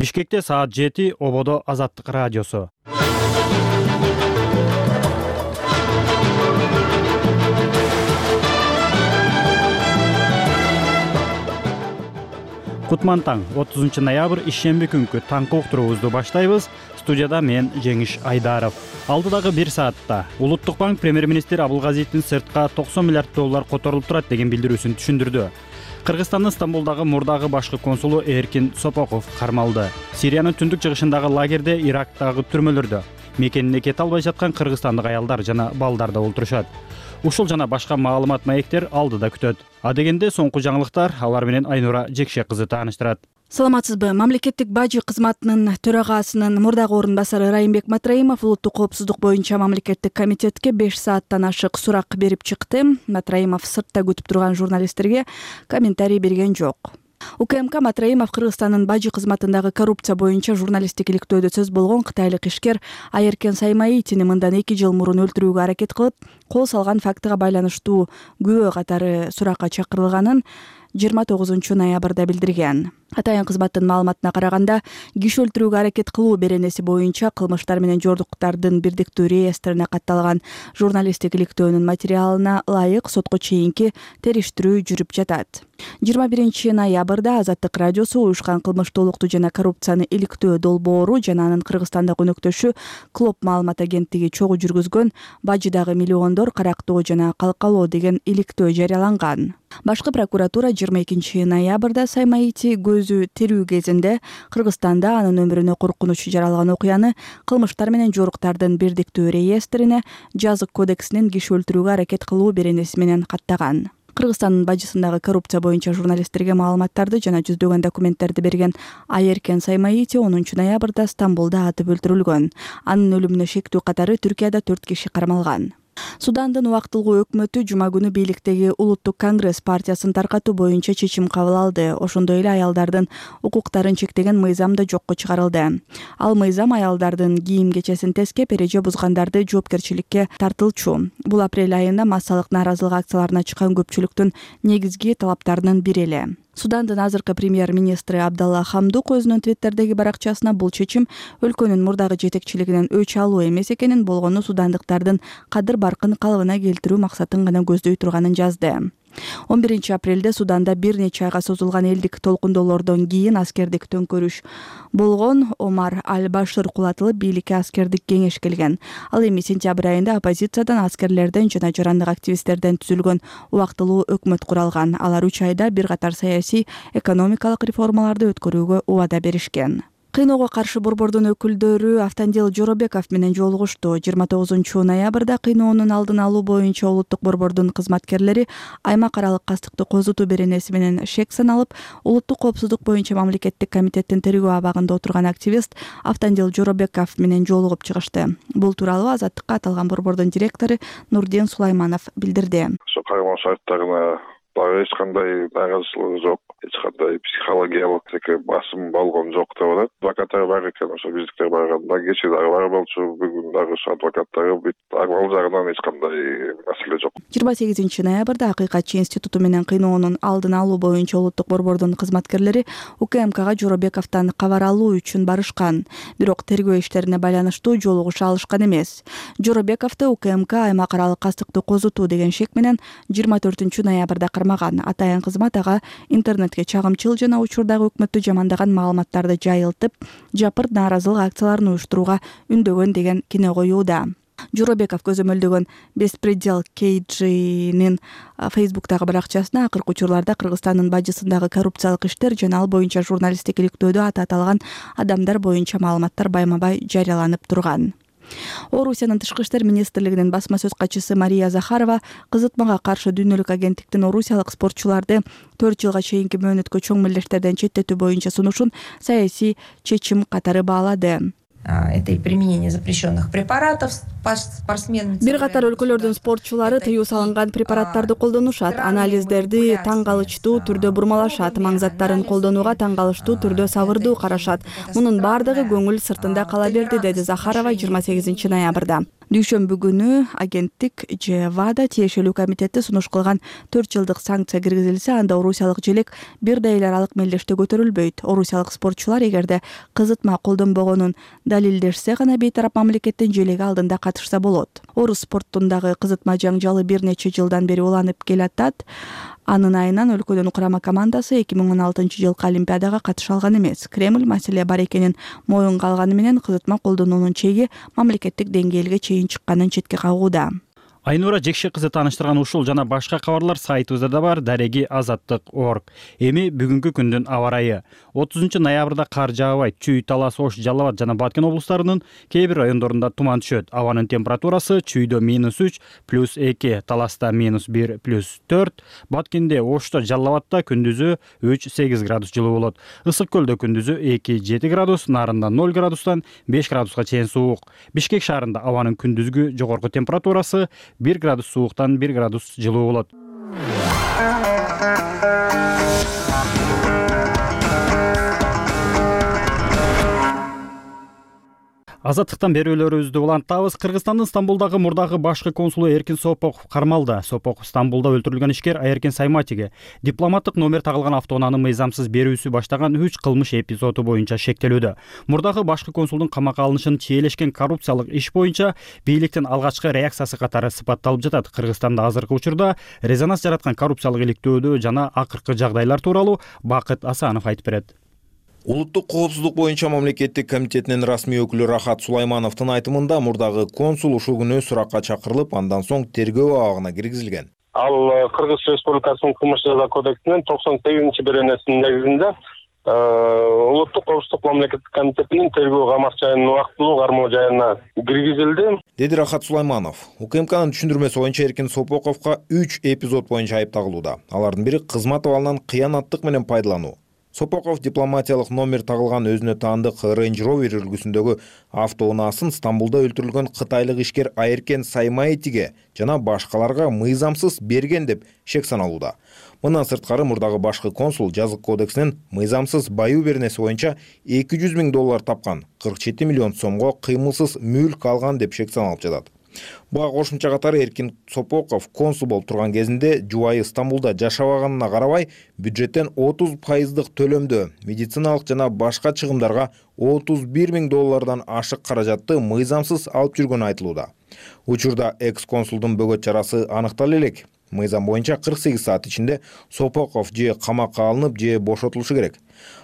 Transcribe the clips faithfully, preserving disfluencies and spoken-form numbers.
Бишкекте саат жети, Ободо Азаттык радиосу. Кутман таң, отузунчу ноябрь ишемби күнкү таңкы уктуруубузду баштайбыз. Студияда мен Жеңиш Айдаров. Алдыдагы бир саатта Улуттук банк премьер-министр Абылгазиевдин сыртка токсон миллиард доллар которулуп турат деген билдирүүсүн түшүндүрдү. Кыргызстандын Стамбулдагы мурдагы башкы консулу Эркин Сопоков кармалды. Сириянын түндүк чыгышындагы лагерде, Ирактагы түрмөлөрдө мекенине кете албай жаткан кыргызстандык аялдар жана балдар да олтурушат. Ушул жана башка маалымат маектер алдыда күтөт. А дегенде соңку жаңылыктар, алар менен Айнура Жекше кызы тааныштырат. Саламатсызбы? Мамлекеттик бажы кызматынын төрагасынын мурдагы орун басары Райымбек Матраимов улуттук коопсуздук боюнча мамлекеттик комитетке беш сааттан ашык сурак берип чыкты. Матраимов сыртта күтүп турган журналисттерге комментарий берген жок. УКМК Матраимов Кыргызстандын бажы кызматындагы коррупция боюнча журналисттик иликтөөдө сөз болгон кытайлык ишкер Айеркен Саймаитини мындан эки жыл мурун өлтүрүүгө аракет кылып, кол салган фактыга байланыштуу күбө катары суракка чакырылганын жыйырма тогузунчу ноябрда билдирген. Атайын кызматтын маалыматына караганда, киши өлтүрүүгө аракет кылуу беренеси боюнча кылмыштар менен жоруктардын бирдиктүү реестрине катталган журналисттик иликтөөнүн материалына ылайык сотко чейинки териштирүү жүрүп жатат. жыйырма биринчи ноябрда Азаттык радиосу уюшкан кылмыштуулукту жана коррупцияны иликтөө долбоору жана анын Кыргызстандагы өнөктөшү Клоп маалымат агенттиги чогуу жүргүзгөн бажыдагы миллиондор карактоо жана калкалоо деген иликтөө жарыяланган. Башкы прокуратура жыйырма экинчи ноябрда Саймаити көзү терүү кезинде Кыргызстанда анын өмүрүнө коркунуч жаралган окуяны кылмыштар менен жоруктардын бирдиктүү реестрине жазык кодексинин киши өлтүрүүгө аракет кылуу беренеси менен каттаган. Кыргызстандын бажысындагы коррупция боюнча журналисттерге маалыматтарды жана жүздөгөн документтерди берген Айеркен Саймаити онунчу ноябрда Стамбулда атып өлтүрүлгөн. Анын өлүмүнө шектүү катары Түркияда төрт киши кармалган. Судандын убактылуу өкмөтү жума күнү бийликтеги Улуттук конгресс партиясын таркатуу боюнча чечим кабыл алды. Ошондой эле аялдардын укуктарын чектеген мыйзам да жокко чыгарылды. Ал мыйзам аялдардын кийим кечесин тескеп, эреже бузгандарды жоопкерчиликке тартылчу. Бул апрель айында массалык нааразылык акцияларына чыккан көпчүлүктүн негизги талаптарынын бири эле. Судандын азыркы премьер-министри Абдалла Хамдук өзүнүн твиттердеги баракчасына бул чечим өлкөнүн мурдагы жетекчилигинен өч алуу эмес экенин, болгону судандыктардын кадыр баркын калыбына келтирүү максатын гана көздөй турганын жазды. он биринчи апрелде Суданда бир нече айга созулган элдик толкундоолордон кийин аскердик төңкөрүш болгон. Омар Аль-Башир кулатылып, бийликке аскердик кеңеш келген. Ал эми сентябрь айында оппозициядан, аскерлерден жана жарандык активисттерден түзүлгөн убактылуу өкмөт куралган. Алар үч айда бир катар саясий, экономикалык реформаларды өткөрүүгө убада беришкен. Кыйноого каршы борбордун өкүлдөрү Автандил Жоробеков менен жолугушту. жыйырма тогузунчу ноябрда кыйноонун алдын алуу боюнча улуттук борбордун кызматкерлери аймак аралык кастыкты козутуу беренеси менен шек саналып, улуттук коопсуздук боюнча мамлекеттик комитеттин тергөө абагында отурган активист Автандил Жоробеков менен жолугуп чыгышты. Бул тууралуу Азаттыкка аталган борбордун директору Нурдин Сулайманов билдирди. Ошо кайгылуу шарттарына дагы эч кандай нааразычылыгы жок, эч кандай психологиялык басым болгон жок деп атат. Адвокаттар бар экен, ошо биздиктер барганда кечээ дагы бар болчу, бүгүн дагы ошо адвокаттары бүт армал жагынан эч кандай маселе жок. жыйырма сегизинчи ноябрда Акыйкатчы институту менен кыйноонун алдын алуу боюнча улуттук борбордун кызматкерлери УКМКга Жоробековдон кабар алуу үчүн барышкан. Бирок тергөө иштерине байланыштуу жолугуша алышкан эмес. Жоробековду УКМК аймак аралык кастыкты козутуу деген шек менен жыйырма төртүнчү ноябрда кармаган. Атайын кызмат ага интернетке чагымчыл жана учурдагы өкмөттү жамандаган маалыматтарды жайылтып, жапырт нааразылык акцияларын уюштурууга үндөгөн деген кине коюуда. Жоробеков көзөмөлдөгөн Беспредел Кейджинин Фейсбуктагы баракчасына акыркы учурларда Кыргызстандын бажысындагы коррупциялык иштер жана ал боюнча журналисттик иликтөөдө аты аталган адамдар боюнча маалыматтар байма-бай жарыяланып турган. Орусиянын тышкы иштер министрлигинин басма сөз катчысы Мария Захарова кызытмага каршы дүйнөлүк агенттиктин орусиялык спортчуларды төрт жылга чейинки мөөнөткө чоң мелдештерден четтетүү боюнча сунушун саясий чечим катары баалады. Это и применение запрещенных препаратов спортсменами. Бир катар өлкөлөрдүн спортчулары тыюу салынган препараттарды колдонушат, анализдерди таң калычтуу түрдө бурмалашат, маң заттарын колдонууга таң калыштуу түрдө сабырдуу карашат. Мунун бардыгы көңүл сыртында кала берди, деди Захарова жыйырма сегизинчи ноябрда. Дүйшөмбү күнү агенттик же ВАДА тиешелүү комитети сунуш кылган төрт жылдык санкция киргизилсе, анда орусиялык желек бир да эл аралык мелдеште көтөрүлбөйт. Орусиялык спортчулар эгерде кызытма колдонбогонун далилдешсе гана бейтарап мамлекеттин желеги алдында катышса болот. Орус спортундагы кызытма жаңжалы бир нече жылдан бери уланып келатат. Анын айынан өлкөнүн курама командасы эки миң он алтынчы жылкы Олимпиадага катыша алган эмес. Кремль маселе бар экенин моюнга алганы менен кызытма колдонуунун чеги мамлекеттик деңгээлге чейин чыкканын четке кагууда. Айнура Жекши кызы тааныштырган ушул жана башка кабарлар сайтыбызда да бар. Дареги азаттык точка орг. Эми бүгүнкү күндүн аба ырайы. отузунчу ноябрда кар жаабайт. Чүй, Талас, Ош, Жалал абад жана Баткен облустарынын кээ бир райондорунда туман түшөт. Абанын температурасы Чүйдө минус үч, плюс эки, Таласта минус бир, плюс төрт, Баткенде, Ошто, Жалал абадта күндүзү үч сегиз градус жылуу болот. Ысык көлдө күндүзү эки жети градус, Нарында ноль градустан беш градуска чейин суук. Бишкек шаарында абанын күндүзгү жогорку температурасы бир градус сууктан бир градус жылуу болот. Азаттыктан берүүлөрүбүздү улантабыз. Кыргызстандын Стамбулдагы мурдагы башкы консулу Эркин Сопоков кармалды. Сопоков Стамбулда өлтүрүлгөн ишкер Айеркен Сайматиге дипломаттык номер тагылган автоунааны мыйзамсыз берүүсү баштаган үч кылмыш эпизоду боюнча шектелүүдө. Мурдагы башкы консулдун камакка алынышын чиелешкен коррупциялык иш боюнча бийликтин алгачкы реакциясы катары сыпатталып жатат. Кыргызстанда азыркы учурда резонанс жараткан коррупциялык иликтөөдө жана акыркы жагдайлар тууралуу Бакыт Асанов айтып берет. Улуттук коопсуздук боюнча мамлекеттик комитетинин расмий өкүлү Рахат Сулаймановдун айтымында мурдагы консул ушул күнү суракка чакырылып, андан соң тергөө абагына киргизилген. Ал Кыргыз Республикасынын кылмыш жаза кодексинин токсон сегизинчи беренесинин негизинде улуттук коопсуздук мамлекеттик комитетинин тергөө камак жайынын убактылуу кармоо жайына киргизилди, деди Рахат Сулайманов. УКМКнын түшүндүрмөсү боюнча Эркин Сопоковго үч эпизод боюнча айып тагылууда. Алардын бири кызмат абалынан кыянаттык менен пайдалануу. Сопоков дипломатиялык номер тагылган өзүнө таандык Range Rover үлгүсүндөгү автоунаасын Стамбулда өлтүрүлгөн кытайлык ишкер Айеркен Саймаитиге жана башкаларга мыйзамсыз берген деп шек саналууда. Мындан сырткары мурдагы башкы консул жазык кодексинин мыйзамсыз баюу беренеси боюнча эки жүз миң доллар тапкан, кырк жети миллион сомго кыймылсыз мүлк алган деп шек саналып жатат. Буга кошумча катары Эркин Сопоков консул болуп турган кезинде жубайы Стамбулда жашабаганына карабай, бюджеттен отуз пайыздык төлөмдө медициналык жана башка чыгымдарга отуз бир миң доллардан ашык каражатты мыйзамсыз алып жүргөнү айтылууда. Учурда экс-консулдун бөгөт чарасы аныктала элек. Мыйзам боюнча кырк сегиз саат ичинде Сопоков же камакка алынып, же бошотулушу керек.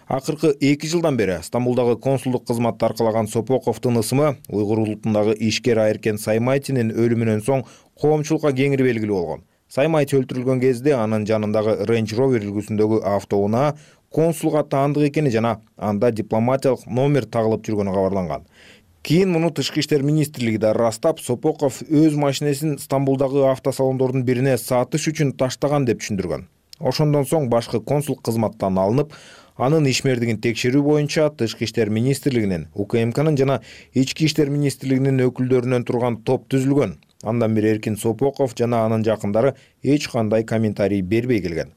Акыркы эки жылдан бери Стамбулдагы консулдук кызматты аркалаган Сопоковдун ысымы уйгур улутундагы ишкер Айеркен Саймаитинин өлүмүнөн соң коомчулукка кеңири белгилүү болгон. Саймаити өлтүрүлгөн кезде анын жанындагы Range Rover үлгүсүндөгү автоунаа консулга таандык экени жана анда дипломатиялык номер тагылып жүргөнү кабарланган. Кийин муну Тышкы иштер министрлиги да ырастап, Сопоков өз машинесин Стамбулдагы автосалондордун бирине сатыш үчүн таштаган деп түшүндүргөн. Ошондон соң башкы консул кызматтан алынып, анын ишмердигин текшерүү боюнча Тышкы иштер министрлигинин, УКМКнын жана Ички иштер министрлигинин өкүлдөрүнөн турган топ түзүлгөн. Андан бери Эркин Сопоков жана анын жакындары эч кандай комментарий бербей келген.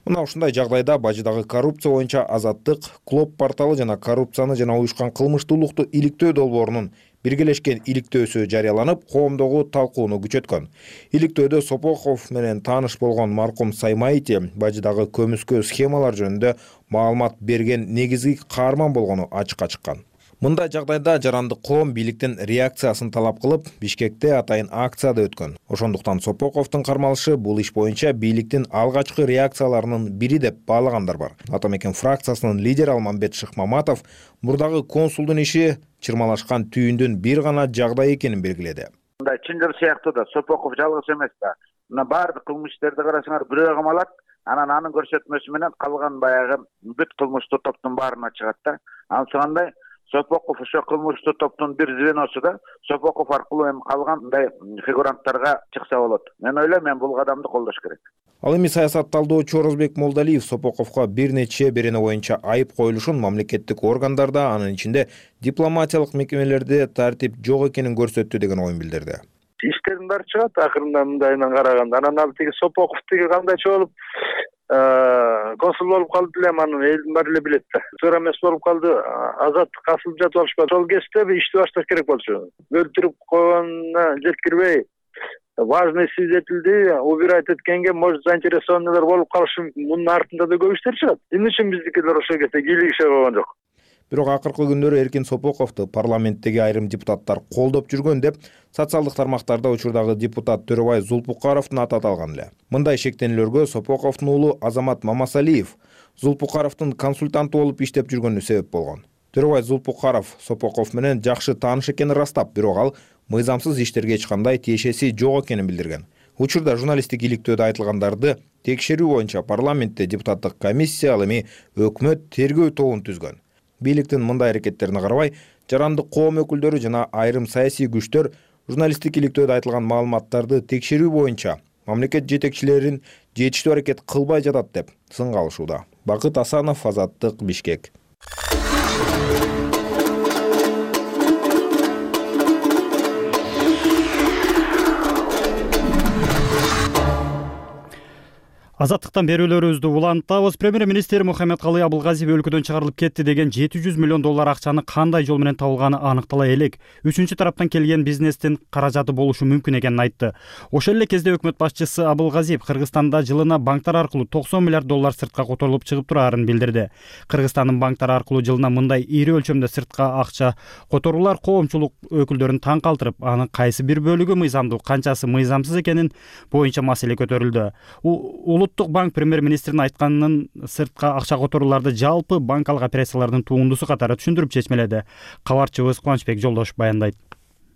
Мына ушундай жагдайда бажыдагы коррупция боюнча Азаттык, Клоп порталы жана коррупцияны жана уюшкан кылмыштуулукту иликтөө долбоорунун биргелешкен иликтөөсү жарыяланып, коомдогу талкууну күчөткөн. Иликтөөдө Сопоков менен тааныш болгон маркум Саймаити бажыдагы көмүскө схемалар жөнүндө маалымат берген негизги каарман болгону ачыкка чыккан. Мындай жагдайда жарандык коом бийликтин реакциясын талап кылып, Бишкекте атайын акция да өткөн. Ошондуктан Сопоковдун кармалышы бул иш боюнча бийликтин алгачкы реакцияларынын бири деп баалагандар бар. Атамекен фракциясынын лидери Алмамбет Шыкмаматов мурдагы консулдун иши чырмалашкан түйүндүн бир гана жагдай экенин белгиледи. Мындай чындыр сыяктуу да Сопоков жалгыз эмес да. Мына баардык кылмыш иштерди карасаңар бирөө камалат, анан анын көрсөтмөсү менен калган баягы бүт кылмыштуу топтун баарына чыгат да. Анткандай Сопоков ошо кылмыштуу топтун бир звеносу да Сопоков аркылуу эми калган мындай фигуранттарга чыкса болот. Мен ойлойм, мен бул кадамды колдош керек. Ал эми саясат талдоочу Орозбек Молдалиев Сопоковго бир нече берене боюнча айып коюлушун мамлекеттик органдарда, анын ичинде дипломатиялык мекемелерде тартип жок экенин көрсөттү деген оюн билдирди. Иштердин баары чыгат акырында мындайынан караганда. Анан ал тиги Сопоков тиги кандайча болуп консул болуп калды элем, аны элдин баары эле билет да. Туура эмес болуп калды. Азаттык асылып жатып алышпады. Сол кезде ишти башташ керек болчу. Өлтүрүп койгонуна жеткирбей, важный свидетельди убирать эткенге, может, заинтересованныйлар болуп калышы мүмкүн. Мунун артында да көп иштер чыгат. Эмне үчүн биздикилер ошол кезде кийлигише койгон жок? Бирок акыркы күндөрү Эркин Сопоковду парламенттеги айрым депутаттар колдоп жүргөн деп социалдык тармактарда учурдагы депутат Төрөбай Зулпукаровдун аты аталган эле. Мындай шектенүүлөргө Сопоковдун уулу Азамат Мамасалиев Зулпукаровдун консультанты болуп иштеп жүргөнү себеп болгон. Төрөбай Зулпукаров Сопоков менен жакшы тааныш экенин ырастап, бирок ал мыйзамсыз иштерге эч кандай тиешеси жок экенин билдирген. Учурда журналисттик иликтөөдө айтылгандарды текшерүү боюнча парламентте депутаттык комиссия, ал эми өкмөт тергөө тобун түзгөн. Бийликтин мындай аракеттерине карабай, жарандык коом өкүлдөрү жана айрым саясий күчтөр журналисттик иликтөөдө айтылган маалыматтарды текшерүү боюнча мамлекет жетекчилерин жетиштүү аракет кылбай жатат деп сынга алышууда. Бакыт Асанов, Азаттык, Бишкек. Азаттыктан берүүлөрүбүздү улантабыз. Премьер-министр Мухаммедкалый Абылгазиев өлкөдөн чыгарылып кетти деген жети жүз миллион доллар акчаны кандай жол менен табылганы аныктала элек. Үчүнчү тараптан келген бизнестин каражаты болушу мүмкүн экенин айтты. Ошол эле кезде өкмөт башчысы Абылгазиев Кыргызстанда жылына банктар аркылуу токсон миллиард доллар сыртка которулуп чыгып турарын билдирди. Кыргызстандын банктары аркылуу жылына мындай ири өлчөмдө сыртка акча которуулар коомчулук өкүлдөрүн таң калтырып, анын кайсы бир бөлүгү мыйзамдуу, канчасы мыйзамсыз экенин боюнча маселе көтөрүлдү. Улуттук банк премьер-министрдин айтканын сыртка акча которууларды жалпы банкалык операциялардын тугундусу катары түшүндүрүп чечмеледи. Кабарчыбыз Кубанычбек Жолдошов баяндайт.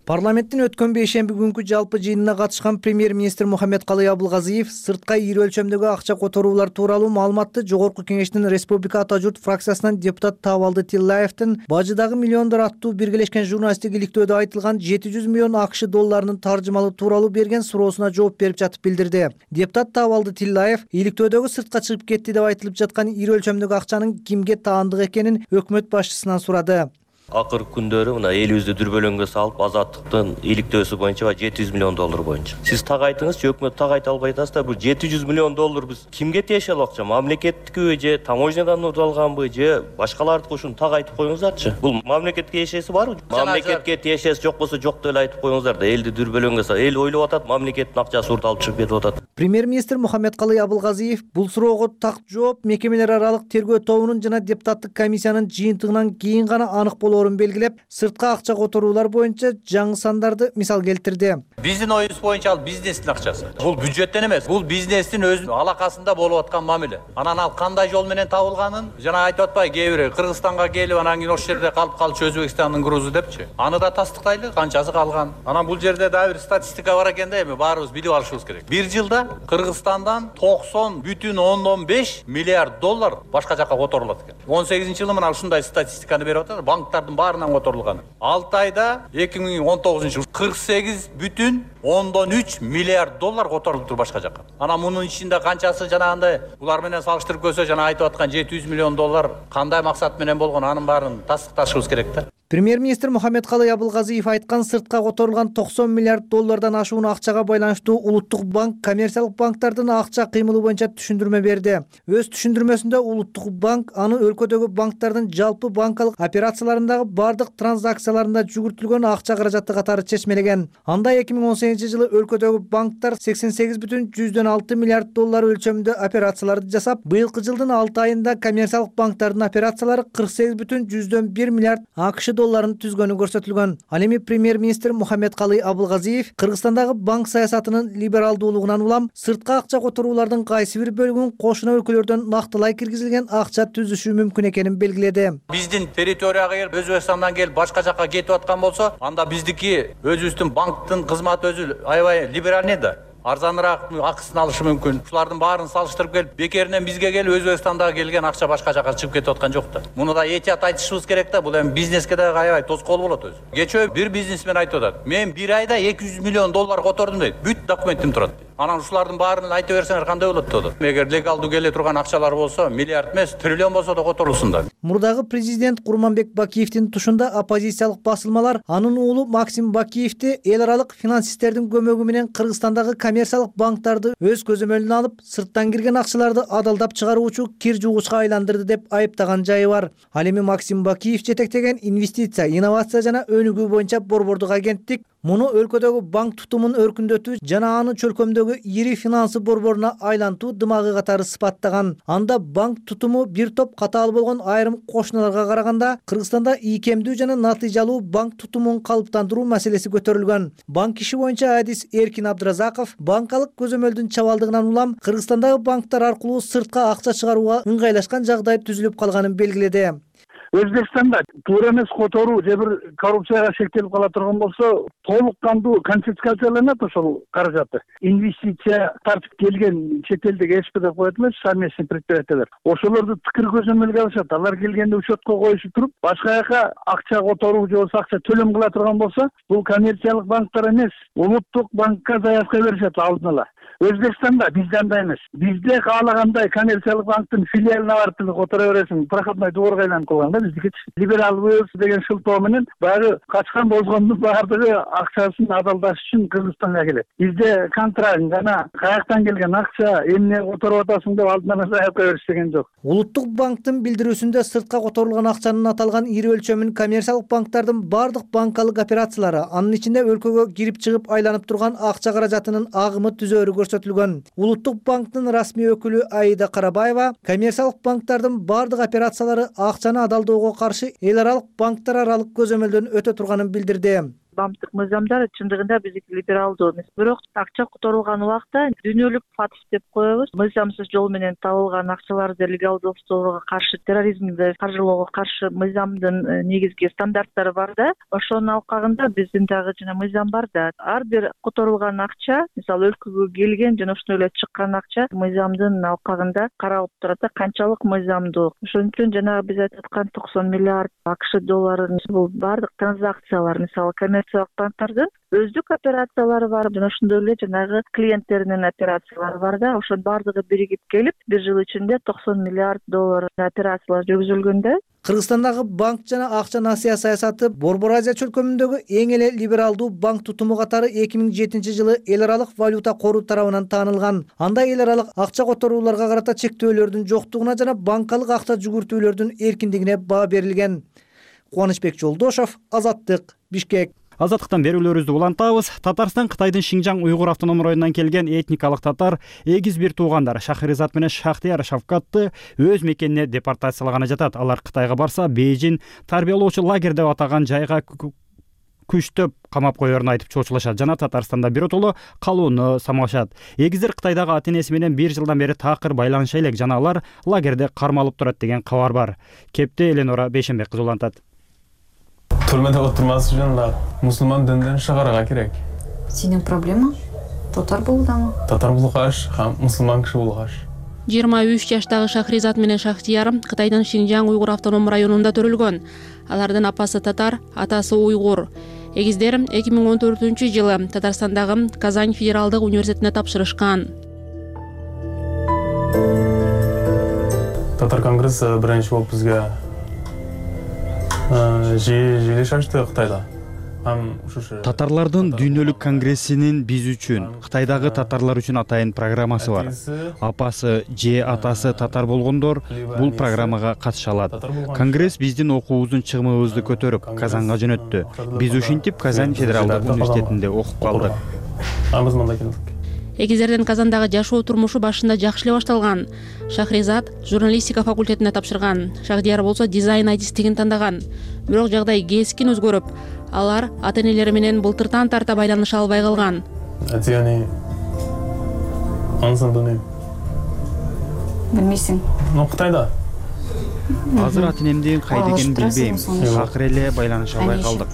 Парламенттин өткөн бейшемби күнкү жалпы жыйынына катышкан премьер-министр Мухаммедкалый Абылгазиев сыртка ири өлчөмдөгү акча которуулар тууралуу маалыматты Жогорку Кеңештин Республика Ата журт фракциясынан депутат Табалды Тиллаевдин Бажыдагы миллиондор аттуу биргелешкен журналисттик иликтөөдө айтылган жети жүз миллион АКШ долларынын таржымалуу тууралуу берген суроосуна жооп берип жатып билдирди. Депутат Табалды Тиллаев иликтөөдөгү сыртка чыгып кетти деп айтылып жаткан ири өлчөмдөгү акчанын кимге таандык экенин өкмөт башчысынан сурады. Акыркы күндөрү мына элибизди дүрбөлөңгө салып, Азаттыктын иликтөөсү боюнча жети жүз миллион доллар боюнча. Сиз так айтыңызчы, өкмөт так айта албай атасыздар. Бул жети жүз миллион доллар биз кимге тиешелүү акча? Мамлекеттикиби же таможнядан урдалганбы же башкалардыкы? Ушуну так айтып коюңуздарчы. Бул мамлекетке тиешеси барбы? Мамлекетке тиешеси жок болсо жок деп эле айтып коюңуздар да, элди дүрбөлөңгө салып. Эл ойлоп атат, мамлекеттин акчасы урдалып чыгып кетип атат. Премьер-министр Мухаммедкалый Абылгазиев бул суроого так жооп мекемелер аралык тергөө тобунун жана депутаттык комиссиянын жыйынтыгынан кийин гана анык болоорун белгилеп, сыртка акча которуулар боюнча жаңы сандарды мисал келтирди. Биздин оюбуз боюнча ал бизнестин акчасы. Бул бюджеттен эмес, бул бизнестин өзүнүн алакасында болуп аткан мамиле. Анан ал кандай жол менен табылганын жана айтып атпайбы, кээ бирөө Кыргызстанга келип анан кийин ошол жерде калып калчу Өзбекстандын грузу депчи. Аны да тастыктайлы, канчасы калган. Анан бул жерде дагы бир статистика бар экен да, эми баарыбыз билип алышыбыз керек. Бир жылда Кыргызстандан токсон бүтүн ондон беш миллиард доллар башка жака которулат экен. он сегизинчи жылы мына ушундай статистиканы берип атат. Банктардын баарынан которулган. алты айда эки миң он тогузунчу жыл кырк сегиз бүтүн ондон үч миллиард доллар которулуптур башка жака. Анан мунун ичинде канчасы жанагындай булар менен салыштырып көрсө, жана айтып аткан жети жүз миллион доллар кандай максат менен болгон, анын баарын тастыкташыбыз керек да. Премьер-министр Мухаммедкалый Абылгазиев айткан сыртка которулган токсон миллиард доллардан ашуун акчага байланыштуу Улуттук банк коммерциялык банктардын акча кыймылы боюнча түшүндүрмө берди. Өз түшүндүрмөсүндө Улуттук банк аны өлкөдөгү банктардын жалпы банкалык операцияларындагы бардык транзакцияларында жүгүртүлгөн акча каражаты катары чечмелеген. Анда эки миң он сегизинчи жылы өлкөдөгү банктар сексен сегиз бүтүн жүздөн алты миллиард доллар өлчөмүндө операцияларды жасап, быйылкы жылдын алты айында коммерциялык банктардын операциялары кырк сегиз бүтүн жүздөн бир миллиард АКШ долларын түзгөнү көрсөтүлгөн. Ал эми премьер-министр Мухаммедкалый Абылгазиев Кыргызстандагы банк саясатынын либералдуулугунан улам сыртка акча которуулардын кайсы бир бөлүгүн кошуна өлкөлөрдөн нактылай киргизилген акча түзүшү мүмкүн экенин белгиледи. Биздин территорияга келип, Өзбекстандан келип башка жака кетип аткан болсо, анда биздики өзүбүздүн банктын кызматы өзү аябай либеральный да. Арзаныраак акысын алышы мүмкүн. Ушулардын баарын салыштырып келип, бекеринен бизге келип Өзбекстандагы келген акча башка жака чыгып кетип аткан жок да. Муну да этият айтышыбыз керек да. Бул эми бизнеске да аябай тоскоол болот өзү. Кечөө бир бизнесмен айтып атат: "Мен бир айда эки жүз миллион доллар котордум" дейт. Бүт документим турат дейт. Анан ушулардын баарын айта берсеңер кандай болот дейт. Эгер легалдуу келе турган акчалар болсо, миллиард эмес, триллион болсо да которулсун да. Мурдагы президент Курманбек Бакиевдин тушунда оппозициялык басылмалар анын уулу Максим Бакиевди эл аралык финансисттердин көмөгү менен Кыргызстандагы коммерциялык банктарды өз көзөмөлүнө алып, сырттан кирген акчаларды адалдап чыгаруучу кир жугучка айландырды деп айыптаган жайы бар. Ал эми Максим Бакиев жетектеген инвестиция, инновация жана өнүгүү боюнча борбордук агенттик муну өлкөдөгү банк тутумун өркүндөтүү жана аны чөлкөмдөгү ири финансы борборуна айлантуу дымагы катары сыпаттаган. Анда банк тутуму бир топ катаал болгон айрым кошуналарга караганда Кыргызстанда ийкемдүү жана натыйжалуу банк тутумун калыптандыруу маселеси көтөрүлгөн. Банк иши боюнча адис Эркин Абдыразаков банкалык көзөмөлдүн чабалдыгынан улам Кыргызстандагы банктар аркылуу сыртка акча чыгарууга ыңгайлашкан жагдай түзүлүп калганын белгиледи. Өзбекстанда туура эмес которуу же бир коррупцияга шектелип кала турган болсо, толук кандуу конфискацияланат ошол каражаты. Инвестиция тартып келген чет элдеги СП деп коет эмес, совместный предприятиялар. Ошолорду тыкыр көзөмөлгө алышат. Алар келгенде учетко коюшу туруп, башка жака акча которуу же болбосо акча төлөм кыла турган болсо, бул коммерциялык банктар эмес, улуттук банкка заявка беришет алдын ала. Өзбекстанда бизде андай эмес. Бизде каалагандай коммерциялык банктын филиалына барып эле которо бересиң, проходной дворго айланып калган да биздики. Либералбыз деген шылтоо менен баягы качкан бозгондун баардыгы акчасын адалдаш үчүн Кыргызстанга келет. Бизде контракт жана каяктан келген акча, эмне которуп атасың деп алдын ала заявка бериш деген жок. Улуттук банктын билдирүүсүндө сыртка которулган акчанын аталган ири өлчөмүн коммерциялык банктардын бардык банкалык операциялары, анын ичинде өлкөгө кирип чыгып айланып турган акча каражатынын агымы түзөөрү көрсөтүлгөн. Улуттук банктын расмий өкүлү Аида Карабаева коммерциялык банктардын бардык операциялары акчаны адалдоого каршы эл аралык банктар аралык көзөмөлдөн өтө турганын билдирди. Банктык мыйзамдар чындыгында биздики либералдуу эмес. Бирок акча которулган убакта дүйнөлүк фатф деп коебуз. Мыйзамсыз жол менен табылган акчаларды легалдоого каршы, терроризмди каржылоого каршы мыйзамдын негизги стандарттары бар да. Ошонун алкагында биздин дагы жана мыйзам бар да. Ар бир которулган акча, мисалы өлкөгө келген жана ошондой эле чыккан акча мыйзамдын алкагында каралып турат да, канчалык мыйзамдуу. Ошон үчүн жанагы биз айтып аткан токсон миллиард АКШ долларын бул бардык транзакциялар, мисалы банктардын өздүк операциялары бар, жана ошондой эле жанагы клиенттеринин операциялары бар да. Ошонун бардыгы биригип келип, бир жыл ичинде токсон миллиард доллар операциялар жүргүзүлгөн да. Кыргызстандагы банк жана акча насыя саясаты Борбор Азия чөлкөмүндөгү эң эле либералдуу банк тутуму катары эки миң жетинчи жылы эл аралык валюта кору тарабынан таанылган. Анда эл аралык акча которууларга карата чектөөлөрдүн жоктугуна жана банкалык акча жүгүртүүлөрдүн эркиндигине баа берилген. Кубанычбек Жолдошов, Азаттык, Бишкек. Азаттыктан берүүлөрүбүздү улантабыз. Татарстан Кытайдын Шинжаң уйгур автоном районунан келген этникалык татар эгиз бир туугандар Шахризат менен Шахтияр Шавкатты өз мекенине депортациялagana жатат. Алар Кытайга барса, Бейжин тарбиялоочу лагерь деп атаган жайга күчтөп камап коерун айтып чоочулашат жана Татарстанда биротоло калууну самалашат. Эгиздер Кытайдагы ата-энеси менен бир жылдан бери такыр байланыша элек жана алар лагерде кармалып турат деген кабар бар. Кепте Эленора Бейшенбек кызы улантат. Түрмөдө отурмас үчүн да мусулман дінден чыгарга керек. Сенин проблема татар болуудамы? Татар болгоч, һәм мусулман киши болгоч. жыйырма үч жаштагы Шахризат менен Шахтияр Кытайдын Шинжаң уйгур автоном районунда төрөлгөн. Алардын апасы татар, атасы уйгур. Эгиздер эки миң он төртүнчү жылы Татарстандагы Казань федералдык университетине тапшырышкан. Татар конгресси биринчи болуп бизге жыйылыш ачты Кытайда. Татарлардын дүйнөлүк конгрессинин биз үчүн, Кытайдагы татарлар үчүн атайын программасы бар. Апасы же атасы татар болгондор бул программага катыша алат. Конгресс биздин окуубуздун чыгымыбызды көтөрүп Казанга жөнөттү. Биз ушинтип Казань федералдык университетинде окуп калдык. Эгиздердин Казандагы жашоо турмушу башында жакшы эле башталган. Шахризат журналистика факультетине тапшырган. Шахдияр болсо дизайн айтистигин тандаган. Бирок жагдай кескин өзгөрүп, алар ата-энелери менен былтыртан тарта байланыша албай калган. Атияни ансын билмейм. Билмейсиң? Ну, Кытайда. Азыр ата-энемдин кайда экенин билбейм. Акыры эле байланыша албай калдык.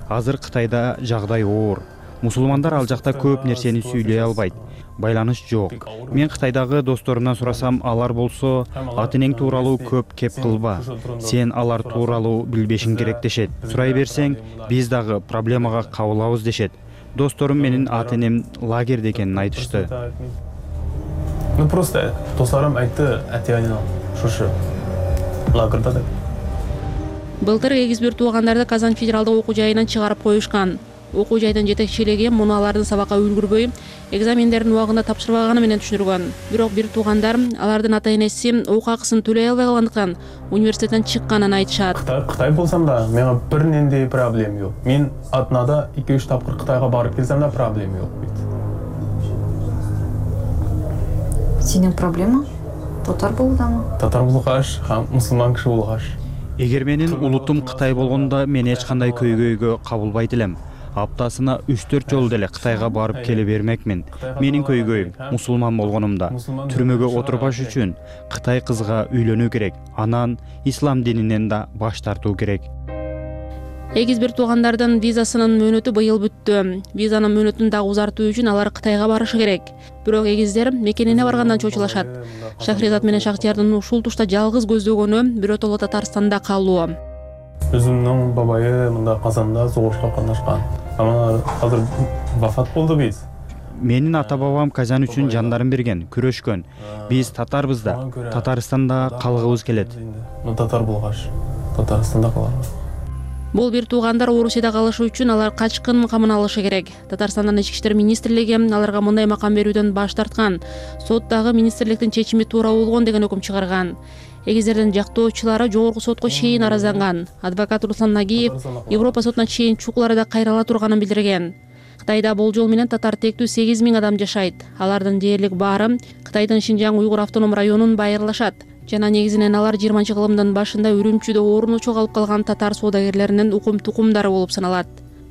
Азыр Кытайда жагдай оор. Мусулмандар ал жакта көп нерсени сүйлөй албайт. Байланыш жок. Мен Кытайдагы досторумдан сурасам, алар болсо ата-энең тууралуу көп кеп кылба. Сен алар тууралуу билбешиң керек дешет. Сурай берсең, биз дагы проблемага кабылабыз дешет. Досторум менин ата-энем лагерде экенин айтышты. Ну просто досторум айтты, ата-энем шушу лагерда деп. Былтыр эгиз бир туугандарды Казань федералдык окуу жайынан чыгарып коюшкан. окуу жайдын жетекчилиги муну алардын сабакка үлгүрбөй, экзамендерин убагында тапшырбаганы менен түшүндүргөн. Бирок бир туугандар алардын ата энеси окуу акысын төлөй албай калгандыктан университеттен чыкканын айтышат. Кытай Кытай болсам да, менин бир нендей проблема жок. Мен атнада эки үч тапкыр Кытайга барып келсем да проблема жок дейт. Сенин проблема татар болуудамы? Татар болгоч, һәм мусулман киши болгоч. Эгер менин улутум Кытай болгондо мен эч кандай көйгөйгө кабылбайт элем. Аптасына үч төрт жолу деле Кытайга барып келе бермекмин. Менин көйгөйүм мусулман болгонумда түрмөгө отурбаш үчүн Кытай кызга үйлөнүү керек, анан ислам дининен да баш тартуу керек. Эгиз бир туугандардын визасынын мөөнөтү быйыл бүттү. Визанын мөөнөтүн дагы узартуу үчүн алар Кытайга барышы керек. Бирок эгиздер мекенине баргандан чочулашат. Шахризат менен Шахтиярдын ушул тушта жалгыз көздөгөнү биротоло Татарстанда калуу. Өзүмдүн бабайы мында Казанда согушка катнашкан. Ана азыр вафат болду биз. Менин ата-бабам Казан үчүн жандарын берген, күрөшкөн. Биз татарбыз да, Татарстанда калгыбыз келет. Татар болгоч, Татарстанда калабыз. Бул бир туугандар Орусияда калышы үчүн алар качкын камын алышы керек. Татарстандын ички иштер министрлиги аларга мындай макам берүүдөн баш тарткан. Соттагы министрликтин чечими туура болгон деген өкүм чыгарган. Эгиздердин жактоочулары жогорку сотко чейин аразланган. Адвокат Руслан Нагиев Европа сотуна чейин чукуларда кайрыла турганын билдирген. Кытайда болжол менен татар тектүү сегиз миң адам жашайт. Алардын дээрлик баары Кытайдын Шинжаң уйгур автоном районун байырлашат. Жана негизинен алар жыйырманчы кылымдын башында Үрүмчүдө орнучу калып калган татар соодагерлеринин укум тукумдары болуп саналат.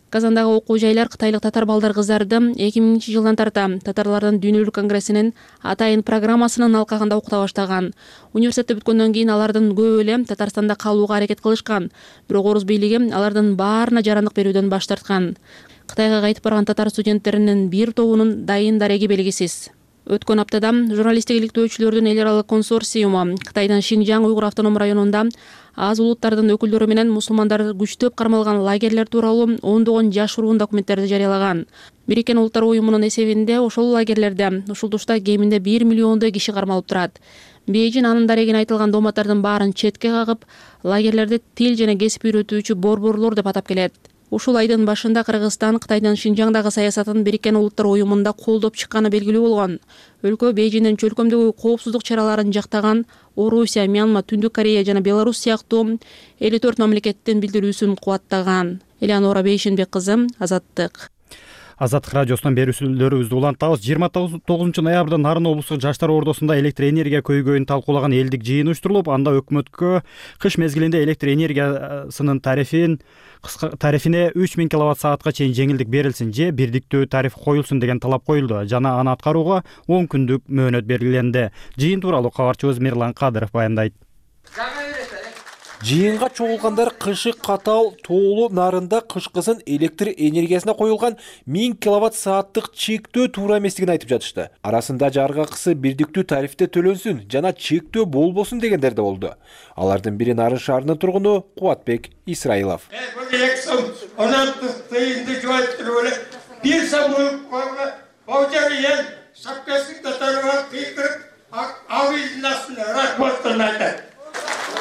Казандагы окуу жайлар кытайлык татар балдар кыздарды эки миңинчи жылдан тарта татарлардын дүйнөлүк конгрессинин атайын программасынын алкагында окута баштаган. Университетти бүткөндөн кийин алардын көбү эле Татарстанда калууга аракет кылышкан. Бирок Орус бийлиги алардын баарына жарандык берүүдөн баш тарткан. Кытайга кайтып барган татар студенттеринин бир тобунун дайын дареги белгисиз. Өткөн аптада журналисттик иликтөөчүлөрдүн эл аралык консорциуму Кытайдын Шинжаң уйгур автоном районунда аз улуттардын өкүлдөрү менен мусулмандар күчтөп кармалган лагерлер тууралуу ондогон жашыруун документтерди жарыялаган. Бириккен Улуттар уюмунун эсебинде ошол лагерлерде ушул тушта кеминде бир миллиондой киши кармалып турат. Бейжин анын дарегине айтылган дооматтардын баарын четке кагып, лагерлерди тил жана кесип үйрөтүүчү борборлор деп атап келет. Ушул айдын башында Кыргызстан Кытайдын Шинжаңдагы саясатын Бириккен Улуттар уюмунда колдоп чыкканы белгилүү болгон. Өлкө Бейжиндин чөлкөмдөгү коопсуздук чараларын жактаган Орусия, Мьянма, Түндүк Корея жана Беларусь сыяктуу элүү төрт мамлекеттин билдирүүсүн кубаттаган. Элеонора Бейшенбек кызы, Азаттык. Азаттык радиосунан берүүчүлөрүбүздү улантабыз. жыйырма тогузунчу ноябрда Нарын облустук жаштар ордосунда электр энергия көйгөйүн талкуулаган элдик жыйын уюштурулуп, анда өкмөткө кыш мезгилинде электр энергиясынын тарифин тарифине үч миң киловатт саатка чейин жеңилдик берилсин же бирдиктүү тариф коюлсун деген талап коюлду жана аны аткарууга он күндүк мөөнөт белгиленди. Жыйын тууралуу кабарчыбыз Мирлан Кадыров баяндайт. Жыйынга чогулгандар кышы катаал тоолуу Нарында кышкысын электр энергиясына коюлган миң киловатт сааттык чектөө туура эместигин айтып жатышты. Арасында жарык акысы бирдиктүү тарифте төлөнсүн жана чектөө болбосун дегендер да болду. Алардын бири Нарын шаарынын тургуну Кубатбек Исраилов. эки сом он алты тыйынды жоюптуруп эле бир сом баужары шапкасын татарга кыйдырып авыздын астына рахматтан айтат.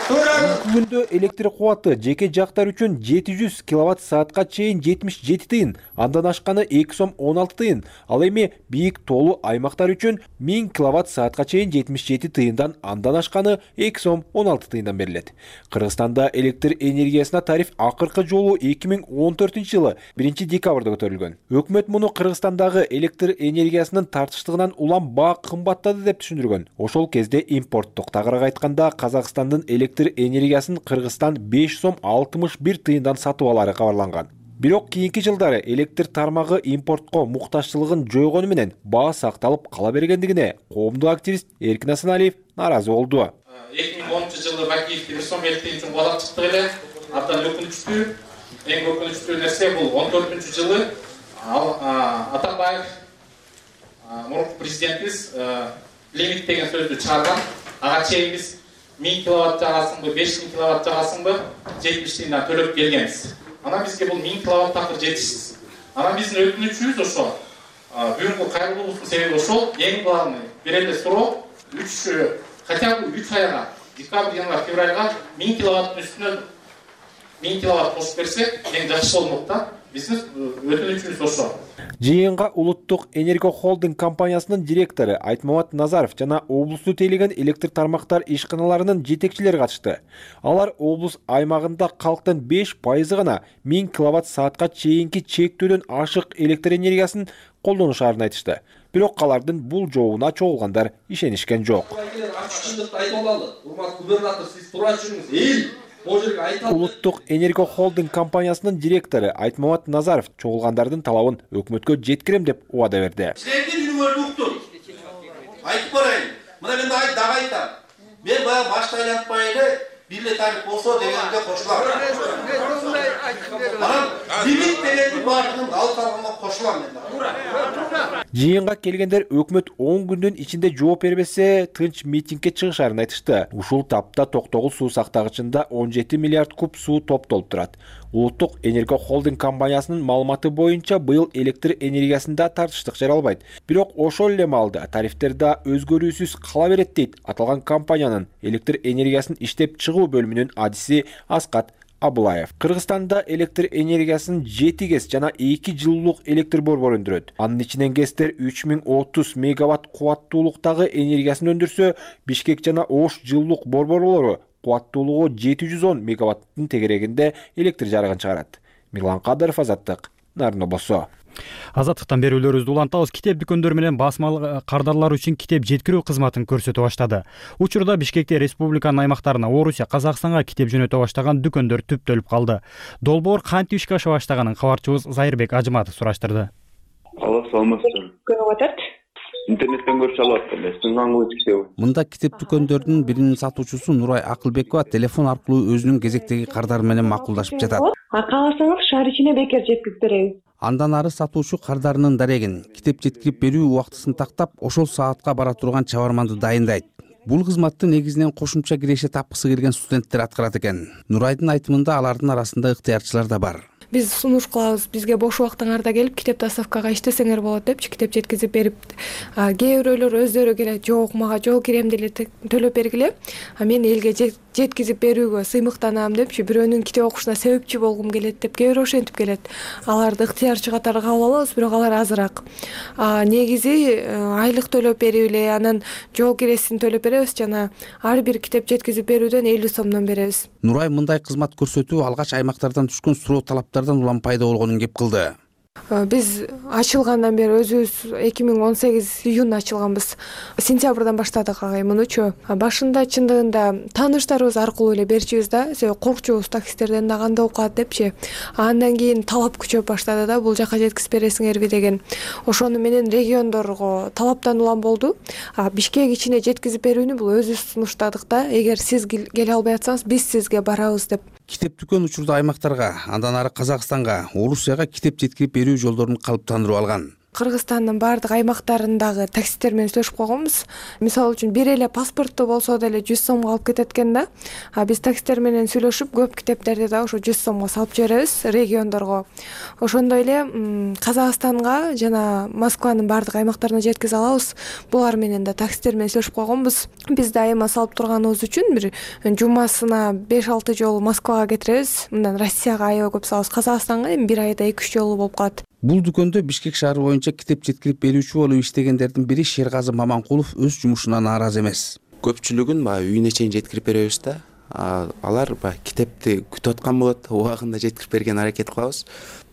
Күндө электр кубаты жеке жактар үчүн жети жүз киловатт саатка чейин жетимиш жети тыйын, андан ашканы эки сом он алты тыйын. Ал эми бийик тоолуу аймактар үчүн миң киловатт саатка чейин жетимиш жети тыйындан, андан ашканы эки сом он алты тыйындан берилет. Кыргызстанда электр энергиясына тариф акыркы жолу эки миң он төртүнчү жылы биринчи декабрда көтөрүлгөн. Өкмөт муну Кыргызстандагы электр энергиясынын тартыштыгынан улам баа кымбаттады деп түшүндүргөн. Ошол кезде импорттук тагыраак айтканда Казакстандын электр энергиясын Кыргызстан беш сом алтымыш бир тыйындан сатып алары кабарланган. Бирок кийинки жылдары электр тармагы импортко муктажчылыгын жойгону менен баа сакталып кала бергендигине коомдук активист Эркин Асаналиев нааразы болду. эки миң онунчу жылы Бакиевди бир сом элүү тыйын үчүн куалап чыктык эле. Абдан өкүнүчтүү. Эң өкүнүчтүү нерсе бул он төртүнчү жылы Атамбаев мурунку президентибиз лимит деген сөздү чыгарган. Ага чейин биз миң киловатт жагасыңбы, беш миң киловатт жагасыңбы жетимиш тыйындан төлөп келгенбиз. Анан бизге бул миң киловатт такыр жетишсиз. Анан биздин өтүнүчүбүз ошо. Бүгүнкү кайрылуубуздун себеби ошол. Эң главный бир эле суроо үч хотя бы үч айга, декабрь, январь, февральга миң киловаттын үстүнө миң киловатт кошуп берсек эң жакшы болмок да. Биздин өтүнүчүбүз ошо. Жыйынга Улуттук энерго холдинг компаниясынын директору Айтмамат Назаров жана облусту тейлеген электр тармактар ишканаларынын жетекчилери катышты. Алар облус аймагында калктын беш пайызы гана миң киловатт саатка чейинки чектөөдөн ашык электр энергиясын колдонушаарын айтышты. Бирок алардын бул жообуна чогулгандар ишенишкен жок. Улуттук энерго холдинг компаниясынын директору Айтмамат Назаров чогулгандардын талабын өкмөткө жеткирем деп убада берди. Силердин үнүңөрдү уктум. Айтып барайын. Мына мен дагы дагы айтам. Мен баягы башта айлантпай эле бир эле тариф болсо дегенге кошулам. Анан лимит дегенди баардыгын алып алганга кошулам мен дагы. Жыйынга келгендер өкмөт он күндүн ичинде жооп бербесе тынч митингге чыгышарын айтышты. Ушул тапта Токтогул суу сактагычында он жети миллиард куб суу топтолуп турат. Улуттук энерго холдинг компаниясынын маалыматы боюнча быйыл электр энергиясында тартыштык жаралбайт. Бирок ошол эле маалда тарифтер да өзгөрүүсүз кала берет дейт аталган компаниянын электр энергиясын иштеп чыгуу бөлүмүнүн адиси Аскат Абылаев. Кыргызстанда электр энергиясын жети гэс жана эки жылуулук электр борбору өндүрөт. Анын ичинен гэстер үч миң отуз мегаватт кубаттуулуктагы энергиясын өндүрсө, Бишкек жана Ош жылуулук борборлору кубаттуулугу жети жүз он мегаваттын тегерегинде электр жарыгын чыгарат. Мирлан Кадыров, Азаттык, Нарын облусу. Азаттыктан берүүлөрүбүздү улантабыз. Китеп дүкөндөр менен басмалык кардарлар үчүн китеп жеткирүү кызматын көрсөтө баштады. Учурда Бишкекте республиканын аймактарына, Орусия, Казакстанга китеп жөнөтө баштаган дүкөндөр түптөлүп калды. Долбоор кантип ишке аша баштаганын кабарчыбыз Зайырбек Ажыматов сураштырды. Алла саламатсыздар. Күнү батат. Интернеттен көрүп алып аттым. Сыңгаңгы китеп. Мында китеп дүкөндөрдүн биринин сатуучусу Нурай Акылбекова телефон аркылуу өзүнүн кезектеги кардары менен макулдашып жатат. А кааласаңыз шаар ичине бекер жеткирип беребиз. Андан ары сатуучу кардарынын дарегин, китеп жеткирип берүү убактысын тактап, ошол саатка бара турган чабарманды дайындайт. Бул кызматты негизинен кошумча киреше тапкысы келген студенттер аткарат экен. Нурайдын айтымында алардын арасында ыктыярчылар да бар. Биз сунуш кылабыз, бизге бош убактыңарда келип китеп доставкага иштесеңер болот депчи, китеп жеткизип берип, кээ бирөөлөр өздөрү келет, жок мага жол киремди эле төлөп бергиле, а мен элге жеткизип берүүгө сыймыктанам депчи, бирөөнүн китеп окушуна себепчи болгум келет деп кээ бирөө ошентип келет. Аларды ыктыярчы катары кабыл алабыз, бирок алар азыраак. Негизи айлык төлөп берип эле, анан жол киресин төлөп беребиз жана ар бир китеп жеткизип берүүдөн элүү сомдон беребиз. Нурай мындай кызмат көрсөтүү алгач аймактардан түшкөн суроо талаптардан улам пайда болгонун кеп кылды. Биз ачылгандан бери өзүбүз эки миң он сегиз июнда ачылганбыз. Сентябрдан баштадык агай мунучу. Башында чындыгында тааныштарыбыз аркылуу эле берчүбүз да, себеби коркчубуз таксистерден да кандай болуп калат депчи. Андан кийин талап күчөп баштады да, бул жака жеткизип бересиңерби деген. Ошону менен региондорго талаптан улам болду. Бишкек ичине жеткизип берүүнү бул өзүбүз сунуштадык да, эгер сиз келе албай атсаңыз, биз сизге барабыз деп. Китеп дүкөн учурда аймактарга, андан ары Казакстанга, Орусияга китеп жеткирип берүү жолдорун калыптандырып алган. Кыргызстандын баардык аймактарындагы таксисттер менен сүйлөшүп койгонбуз. Мисалы үчүн бир эле паспортту болсо деле жүз сомго алып кетет экен да. А биз таксисттер менен сүйлөшүп көп китептерди да ошо жүз сомго салып жиберебиз региондорго. Ошондой эле Казакстанга жана Москванын баардык аймактарына жеткизе алабыз. Булар менен да таксисттер менен сүйлөшүп койгонбуз. Биз дайыма салып турганыбыз үчүн бир жумасына беш алты жолу Москвага кетиребиз. Мындан Россияга аябай көп салабыз. Казакстанга эми бир айда эки үч жолу болуп калат. Бул дүкөндө Бишкек шаары боюнча китеп жеткирип берүүчү болуп иштегендердин бири Шерказы Маманкулов өз жумушуна нааразы эмес. Көпчүлүгүн баягы үйүнө чейин жеткирип беребиз да. Алар баягы китепти күтүп аткан болот, убагында жеткирип берген аракет кылабыз.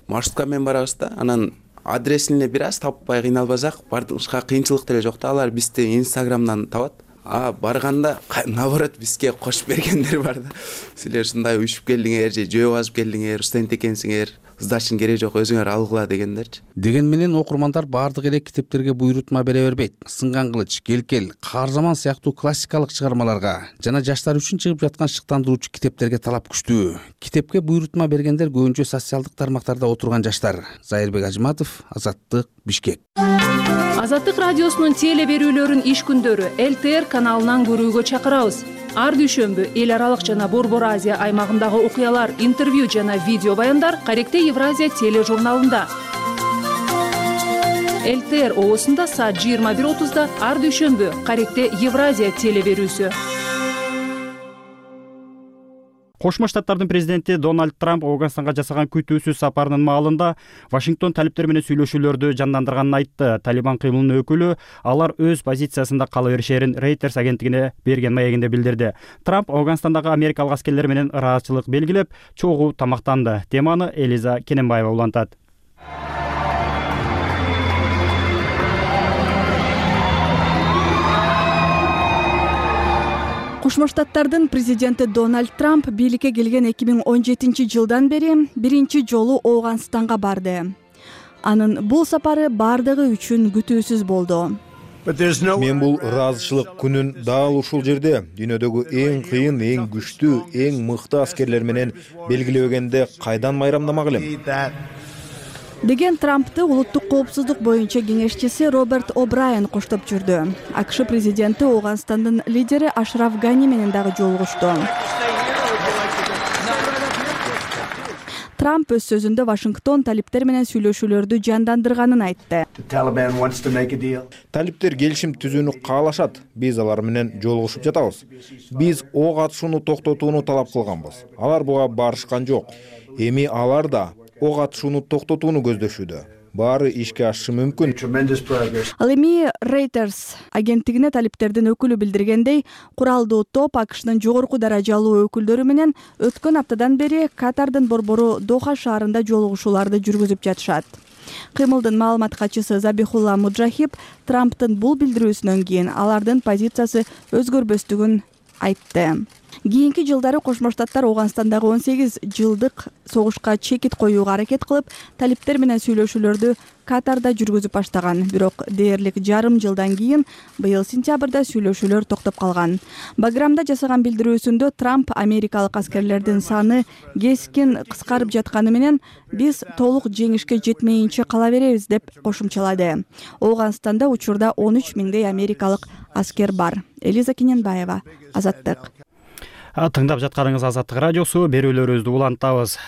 Маршрутка менен барабыз да, анан адресин эле бир аз таппай кыйналбасак, башка кыйынчылык деле жок да. Алар бизди Инстаграмдан табат. А барганда наоборот бизге кошуп бергендер бар да. Силер ушундай уюшуп келдиңер, же жөө басып келдиңер, студент экенсиңер, сдачтын кереги жок, өзүңөр алгыла дегендерчи. Деген менен окурмандар баардык эле китептерге буйрутма бере бербейт. Сынган кылыч, Келкел, Каарзаман сыяктуу классикалык чыгармаларга жана жаштар үчүн чыгып жаткан шыктандыруучу китептерге талап күчтүү. Китепке буйрутма бергендер көбүнчө социалдык тармактарда отурган жаштар. Зайырбек Ажыматов, Азаттык, Бишкек. Азаттык радиосунун теле берүүлөрүн иш күндөрү эл тэ эр каналынан көрүүгө чакырабыз. Ар дүйшөмбү эл аралык жана Борбор Азия аймагындагы окуялар, интервью жана видео баяндар Каректе Евразия тележурналында. эл тэ эр оосунда саат жыйырма бир отузда ар дүйшөмбү Каректе Евразия теле берүүсү. Кошмо Штаттардын президенти Дональд Трамп Ауганстанга жасаган күтүүсүз сапарынын маалында Вашингтон талиптер менен сүйлөшүүлөрдү жандандырганын айтты. Талибан кыймылынын өкүлү алар өз позициясында кала беришерин Reuters агенттигине берген маегинде билдирди. Трамп Ауганстандагы америкалык аскерлер менен ыраазычылык белгилеп, чогуу тамактанды. Теманы Элиза Кененбаева улантат. Кошмо Штаттардын президенти Дональд Трамп бийликке келген эки миң он жетинчи жылдан бери биринчи жолу Ауганстанга барды. Анын бул сапары бардыгы үчүн күтүүсүз болду. Мен бул ыраазычылык күнүн дал ушул жерде дүйнөдөгү эң кыйын, эң күчтүү, эң мыкты аскерлер менен белгилебегенде кайдан майрамдамак элем? Деген Трампты улуттук коопсуздук боюнча кеңешчиси Роберт О'Брайен коштоп жүрдү. АКШ президенти Ауганстандын лидери Ашраф Гани менен дагы жолугушту. Трамп өз сөзүндө Вашингтон талиптер менен сүйлөшүүлөрдү жандандырганын айтты. Талиптер келишим түзүүнү каалашат. Биз алар менен жолугушуп жатабыз. Биз ок атышууну токтотууну талап кылганбыз. Алар буга барышкан жок. Эми алар да ок атышууну токтотууну көздөшүүдө. Баары ишке ашышы мүмкүн. Ал эми Reuters агенттигине талиптердин өкүлү билдиргендей, куралдуу топ АКШнын жогорку даражалуу өкүлдөрү менен өткөн аптадан бери Катардын борбору Доха шаарында жолугушууларды жүргүзүп жатышат. Кыймылдын маалымат катчысы Забихулла Муджахиб Трамптын бул билдирүүсүнөн кийин алардын позициясы өзгөрбөстүгүн айтты. Кийинки жылдары Кошмо Штаттар Ауганстандагы он сегиз жылдык согушка чекит коюуга аракет кылып, талиптер менен сүйлөшүүлөрдү Катарда жүргүзүп баштаган. Бирок дээрлик жарым жылдан кийин быйыл сентябрда сүйлөшүүлөр токтоп калган. Баграмда жасаган билдирүүсүндө Трамп америкалык аскерлердин саны кескин кыскарып жатканы менен биз толук жеңишке жетмейинче кала беребиз деп кошумчалады. Ауганстанда учурда он үч миңдей америкалык аскер бар. Элиза Кененбаева, Азаттык. Тыңдап жатканыңыз Азаттык радиосу, берүүлөрүбүздү улантабыз.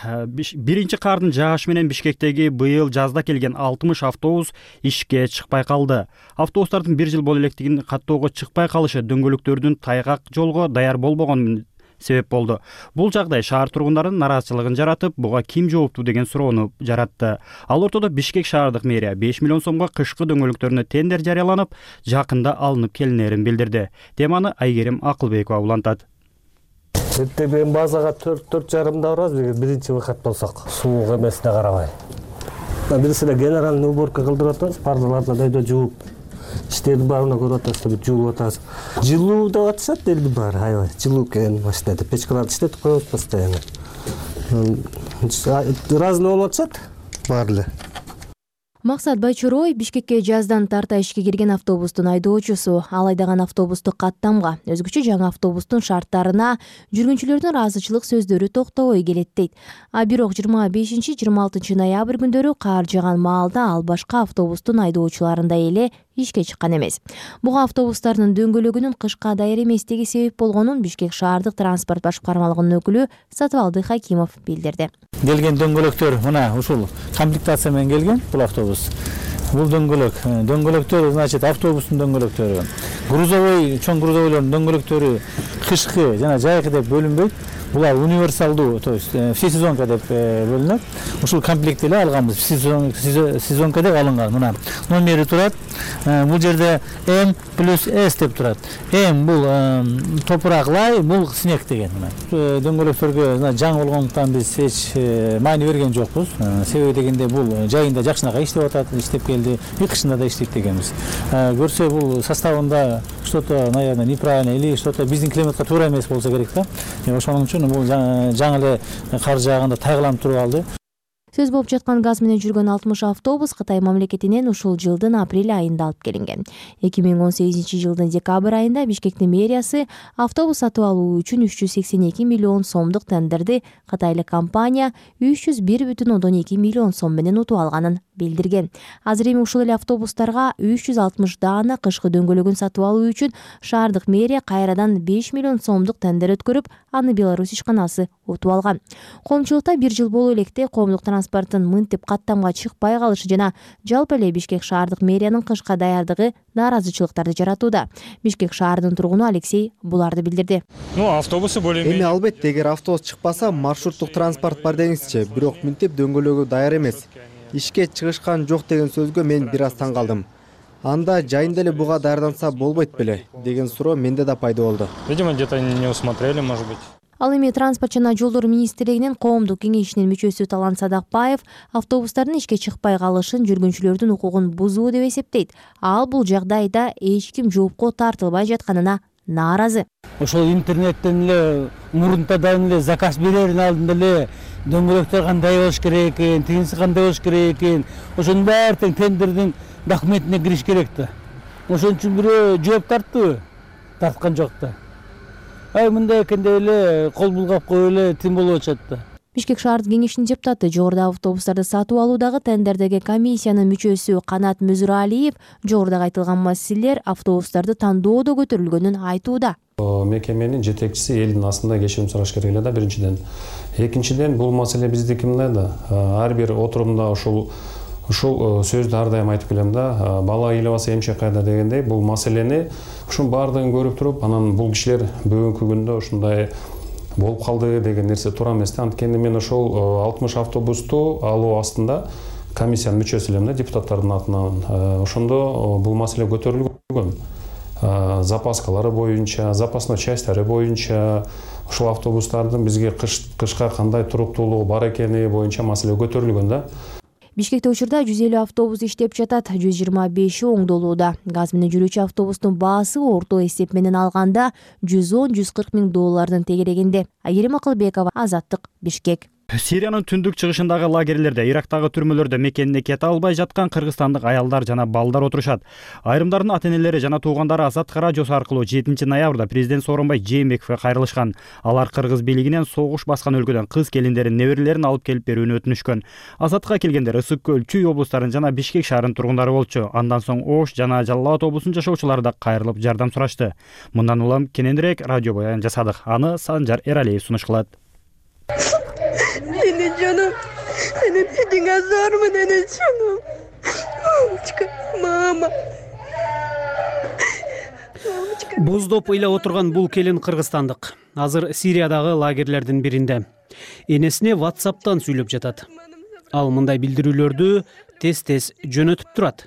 Биринчи кардын жаашы менен Бишкектеги быйыл жазда келген алтымыш автобус ишке чыкпай калды. Автобустардын бир жыл боло электигин каттоого чыкпай калышы дөңгөлөктөрдүн тайгак жолго даяр болбогону себеп болду. Бул жагдай шаар тургундарынын нараазачылыгын жаратып, буга ким жооптуу деген суроону жаратты. Ал ортодо Бишкек шаардык мэрия беш миллион сомго кышкы дөңгөлөктөрүнө тендер жарыяланып, жакында алынып келинерин билдирди. Теманы Айгерим Акылбекова улантат. Эртең базага төрт төрт жарымда барабыз, биринчи вахат болсок, суук эмесине карабай. Бирисине генеральный уборка кылдырып атабыз, пардаларды дайдо жууп, иштердин баарына көрүп атабыз, жуулуп атабыз. Жылуу деп атышат элдин баары, аябай. Жылуу келген баштады. Печкаларды иштетип коебуз постоянно. Разный болуп атышат баары эле. Максат Байчорой Бишкекке жаздан тарта ишке кирген автобустун айдоочусу. Ал айдаган автобусту каттамга, өзгөчө жаңы автобустун шарттарына жүргүнчүлөрдүн ыраазычылык сөздөрү токтобой келет дейт. А бирок жыйырма бешинчи жыйырма алтынчы ноябрь күндөрү каар жааган маалда ал башка автобустун айдоочуларындай эле ишке чыккан эмес. Буга автобустардын дөңгөлөгүнүн кышка даяр эместиги себеп болгонун Бишкек шаардык транспорт башкармалыгынын өкүлү Сатыбалды Хакимов билдирди. Келген дөңгөлөктөр мына ушул комплектация менен келген бул автобус. Бул дөңгөлөк, дөңгөлөктөр, значит, автобустун дөңгөлөктөрү, грузовой, чоң грузовойлордун дөңгөлөктөрү кышкы жана жайкы деп бөлүнбөйт. Булар универсалдуу, то есть всесезонка деп бөлүнөт. Ушул комплект эле алганбыз. Сезонка деп алынган. Мына номери турат. Бул жерде М плюс С деп турат. М бул топурак лай, бул снег деген. Дөңгөлөктөргө жаңы болгондуктан биз эч маани берген жокпуз. Себеби дегенде бул жайында жакшынака иштеп атат, иштеп келди. И кышында да иштейт дегенбиз. Көрсө бул составында что-то, наверное, неправильно или что-то биздин климатка туура эмес болсо керек да. Ошонун үчүн бул жаңы эле кар жааганда тайгаланып туруп алды. Сөз болуп жаткан газ менен жүргөн алтымыш автобус Кытай мамлекетинен ушул жылдын апрель айында алып келинген. эки миң он сегизинчи жылдын декабрь айында Бишкектин мэриясы автобус сатып алуу үчүн үч жүз сексен эки миллион сомдук тендерди кытайлык компания үч жүз бир бүтүн ондон эки миллион сом менен утуп алганын билдирген. Азыр эми ушул эле автобустарга үч жүз алтымыш даана кышкы дөңгөлөгүн сатып алуу үчүн шаардык мэрия кайрадан беш миллион сомдук тендер өткөрүп, аны Беларусь ишканасы утуп алган. Коомчулукта бир жыл боло электе коомдук транспорттун мынтип каттамга чыкпай калышы жана жалпы эле Бишкек шаардык мэриянын кышка даярдыгы нааразычылыктарды жаратууда. Бишкек шаарынын тургуну Алексей буларды билдирди. Ну, автобусы более-менее. Эми албетте, эгер автобус чыкпаса, маршруттук транспорт бар деңизчи, бирок мынтип дөңгөлөгү даяр эмес. Ишке чыгышкан жок деген сөзгө мен бир аз таң калдым. Анда жайында эле буга даярданса болбойт беле деген суроо менде да пайда болду. Видимо, где-то не усмотрели, может быть. Ал эми транспорт жана жолдор министрлигинин коомдук кеңешинин мүчөсү Талан Садакбаев автобустардын ишке чыкпай калышын жүргүнчүлөрдүн укугун бузуу деп эсептейт. Ал бул жагдайда эч ким жоопко тартылбай жатканына нааразы. Ошол интернеттен эле мурунтадан эле заказ берердин алдында эле дөңгөлөктөр кандай болуш керек экен, тигинси кандай болуш керек экен, ошонун баары тең тендердин документине кириш керек да. Ошон үчүн бирөө жооп тарттыбы? Тарткан жок да. Ай мындай экен деп эле кол булгап коюп эле тим болуп атышат да. Бишкек шаардык кеңешинин депутаты, жогоруда автобустарды сатып алуудагы тендердеги комиссиянын мүчөсү Канат Мүзүралиев жогоруда айтылган маселелер автобустарды тандоодо көтөрүлгөнүн айтууда. Мекеменин жетекчиси элдин астында кечирим сураш керек эле да биринчиден. Экинчиден бул маселе биздики мындай да. Ар бир отурумда ушул ушул сөздү ар дайым айтып келем да. Бала ыйлабаса эмчек кайда дегендей, бул маселени ушун баардыгын көрүп туруп, анан бул кишилер бүгүнкү күндө ушундай болуп калды деген нерсе туура эмес да. Анткени мен ошол алтымыш автобусту алуу астында комиссиянын мүчөсү элем да, депутаттардын атынан. Ошондо бул маселе көтөрүлгөн. Запаскалары боюнча, запасной частьтары боюнча, ушул автобустардын бизге кышка кандай туруктуулугу бар экени боюнча маселе көтөрүлгөн да. Бишкекте учурда жүз элүү автобус иштеп жатат, жүз жыйырма беши оңдолууда. Газ менен жүрүүчү автобустун баасы орто эсеп менен алганда жүз он жүз кырк миң доллардын тегерегинде. Айгерим Акылбекова, Азаттык, Бишкек. Сириянын түндүк чыгышындагы лагерлерде, Ирактагы түрмөлөрдө мекенине кете албай жаткан кыргызстандык аялдар жана балдар отурушат. Айрымдардын ата-энелери жана туугандары Азаттык радиосу аркылуу жетинчи ноябрда президент Сооронбай Жээнбековге кайрылышкан. Алар кыргыз бийлигинен согуш баскан өлкөдөн кыз келиндерин, неберелерин алып келип берүүнү өтүнүшкөн. Азаттыкка келгендер Ысык көл, Чүй облустарынын жана Бишкек шаарынын тургундары болчу. Андан соң Ош жана Жалал Абад облусунун жашоочулары да кайрылып жардам сурашты. Мындан улам кененирээк радио баян жасадык. Аны Санжар Эралиев сунуш кылат. Seni canım, senin için azar mı dene canım? Мамочка, мама. Боздоп ыйлап отурган бул келин кыргызстандык. Азыр Сириядагы лагерлердин биринде. Энесине WhatsApp'тан сүйлөп жатат. Ал мындай билдирүүлөрдү тез-тез жөнөтүп турат.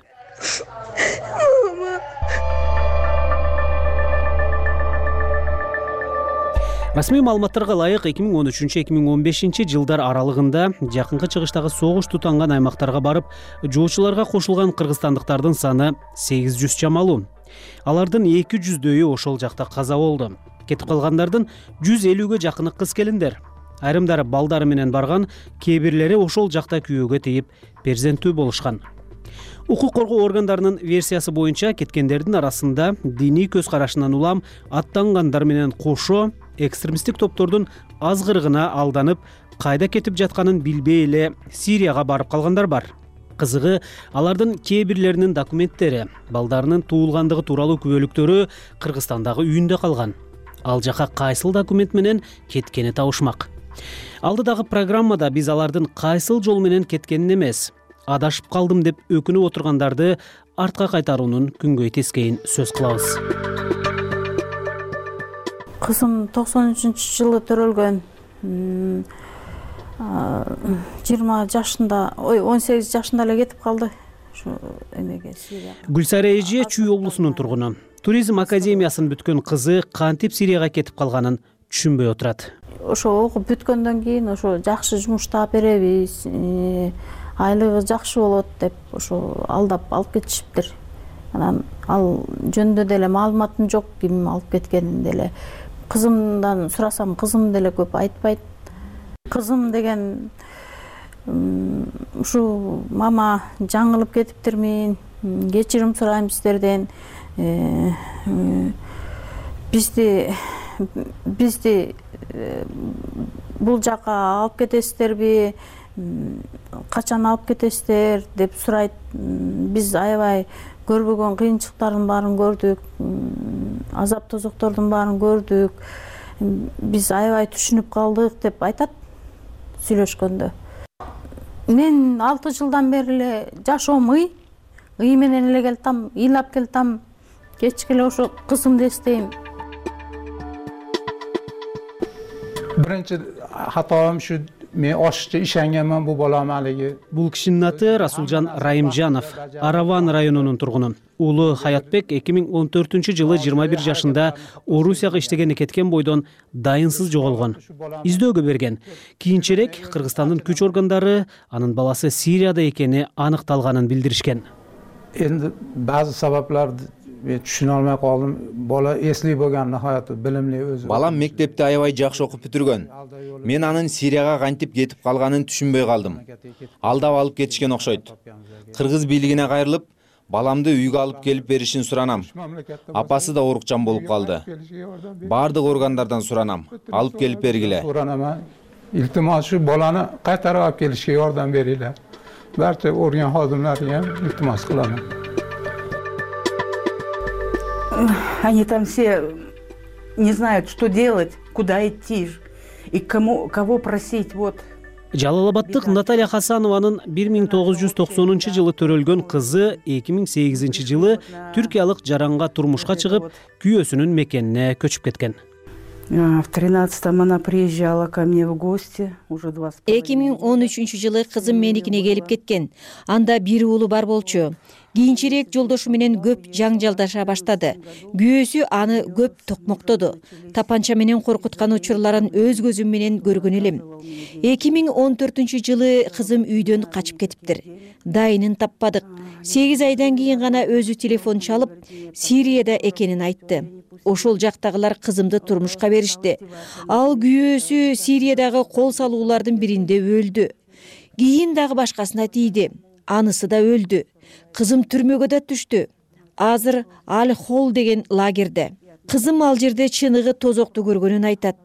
Расмий маалыматтарга ылайык эки миң он үчүнчү эки миң он бешинчи жылдар аралыгында жакынкы чыгыштагы согуш тутанган аймактарга барып, жоочуларга кошулган кыргызстандыктардын саны сегиз жүз чамалуу. Алардын эки жүздөйү ошол жакта каза болду. Кетип калгандардын жүз элүүгө жакыны кыз келиндер. Айрымдары балдары менен барган, кээ бирлери ошол жакта күйөөгө тийип перзенттүү болушкан. Укук коргоо органдарынын версиясы боюнча кеткендердин арасында диний көз карашынан улам аттангандар менен кошо экстремисттик топтордун азгырыгына алданып, кайда кетип жатканын билбей эле Сирияга барып калгандар бар. Кызыгы, алардын кээ бирлеринин документтери, балдарынын туулгандыгы тууралуу күбөлүктөрү Кыргызстандагы үйүндө калган. Ал жака кайсыл документ менен кеткени табышмак. Алдыдагы программада биз алардын кайсыл жол менен кеткенин эмес, адашып калдым деп өкүнүп отургандарды артка кайтаруунун күнгөй тескейин сөз кылабыз. Кызым токсон үчүнчү жылы төрөлгөн, жыйырма жашында, ой, он сегиз жашында эле кетип калды. Ушу эмеге Сирия. Гүлсара эже Чүй облусунун тургуну. Туризм академиясын бүткөн кызы кантип Сирияга кетип калганын түшүнбөй отурат. Ошо окуп бүткөндөн кийин ошо жакшы жумуш таап беребиз, айлыгы жакшы болот деп ошо алдап алып кетишиптир. Анан ал жөнүндө деле маалыматым жок, ким алып кеткенин деле. Кызымдан сурасам, кызым деле көп айтпайт. Кызым деген ушу мама жаңылып кетиптирмин, кечирим сурайм сиздерден. Бизди бизди бул жака алып кетесиздерби? Качан алып кетесиздер деп сурайт. Биз аябай көрбөгөн кыйынчылыктардын баарын көрдүк, азап тозоктордун баарын көрдүк. Биз аябай түшүнүп калдык деп айтат сүйлөшкөндө. мен алты жылдан бери эле жашоом ый ый менен эле келатам, ыйлап келатам. Кечке эле ошо кызымды эстейм. Birinchi xatoim shu, men oshiqcha ishonganman bu bolam haligi. Бул кишинин аты Расулжан Райымжанов, Араван районунун тургуну. Уулу Хаятбек эки миң он төртүнчү жылы жыйырма бир жашында Орусияга иштегени кеткен бойдон дайынсыз жоголгон. Издөөгө берген. Кийинчерээк Кыргызстандын күч органдары анын баласы Сирияда экени аныкталганын билдиришкен. Endi ba'zi sabablarni men tushuna olmay qoldim. Bola esli bo'lgan, nihoyatda bilimli o'zi. Балам мектепти аябай жакшы окуп бүтүргөн. Мен анын Сирияга кантип кетип калганын түшүнбөй калдым. Алдап алып кетишкен окшойт. Кыргыз бийлигине кайрылып, баламды үйгө алып келип беришин суранам. Апасы да оорукчан болуп калды. Бардык органдардан суранам, алып келип бергиле. Суранам. Iltimos shu bolani qaytarib olib kelishga yordam beringlar. Barcha organ xodimlariga ham iltimos qilaman. Они там все не знают, что делать, куда идти и кому, кого просить. Вот. Жалалабаддык Наталья Хасанованын бир миң тогуз жүз токсонунчу жылы төрөлгөн кызы эки миң сегизинчи жылы түркиялык жаранга турмушка чыгып, күйөөсүнүн мекенине көчүп кеткен. В тринадцатом она приезжала ко мне в гости, уже два. эки миң он үчүнчү жылы кызым меникине келип кеткен. Анда бир уулу бар болчу. Кийинчерээк жолдошу менен көп жаңжалдаша баштады. Күйөөсү аны көп токмоктоду. Тапанча менен коркуткан учурларын өз көзүм менен көргөн элем. эки миң он төртүнчү жылы кызым үйдөн качып кетиптир. Дайынын таппадык. сегиз айдан кийин гана өзү телефон чалып, Сирияда экенин айтты. Ошол жактагылар кызымды турмушка беришти. Ал күйөөсү Сириядагы кол салуулардын биринде өлдү. Кийин дагы башкасына тийди. Анысы да өлдү. Кызым түрмөгө да түштү. Азыр Аль-Холл деген лагерде. Кызым ал жерде чыныгы тозокту көргөнүн айтат.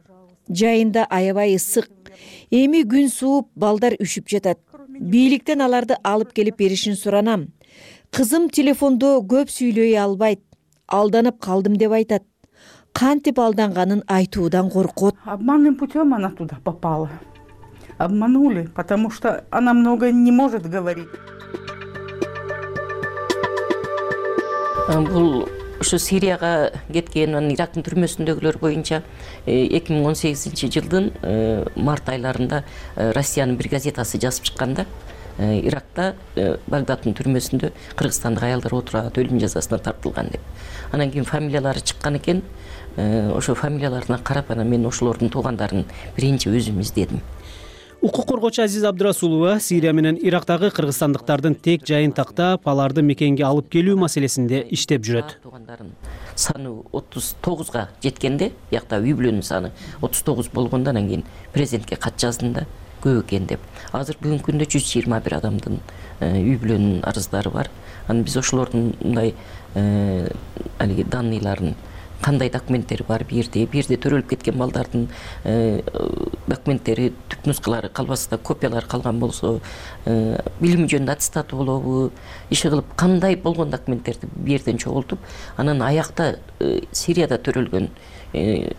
Жайында аябай ысык. Эми күн сууп, балдар үшүп жатат. Бийликтен аларды алып келип беришин суранам. Кызым телефондо көп сүйлөй албайт. Алданып калдым деп айтат. Кантип алданганын айтуудан коркот. Обманным путем она туда попала. Обманули, потому что она много не может говорить. Бул ушу Сирияга кеткен, анын Ирактын түрмөсүндөгүлөр боюнча эки миң он сегизинчи жылдын март айларында Россиянын бир газетасы жазып чыкканда, Иракта Багдадтын түрмөсүндө кыргызстандык аялдар отурат, өлүм жазасына тартылган деп. Анан кийин фамилиялары чыккан экен. Ошо фамилияларына карап, анан мен ошолордун туугандарын биринчи өзүм издедим. Укук коргоочу Азиз Абдырасулова Сирия менен Ирактагы кыргызстандыктардын тек жайын тактап, аларды мекенге алып келүү маселесинде иштеп жүрөт. Саны отуз тогузга жеткенде, биякта үй бүлөнүн саны отуз тогуз болгондо анан кийин президентке кат жаздым да, көп экен деп. Азыр бүгүнкү күндө жүз жыйырма бир адамдын үй бүлөнүн арыздары бар. Анан биз ошолордун мындай алиги данныйларын, кандай документтери бар бир жерде, бир жерде төрөлүп кеткен балдардын документтери, түп нускалары калбаса, копиялары калган болсо, билими жөнүндө аттестаты болобу, иши кылып кандай болгон документтерди бир жерден чогултуп, анан аякта Сирияда төрөлгөн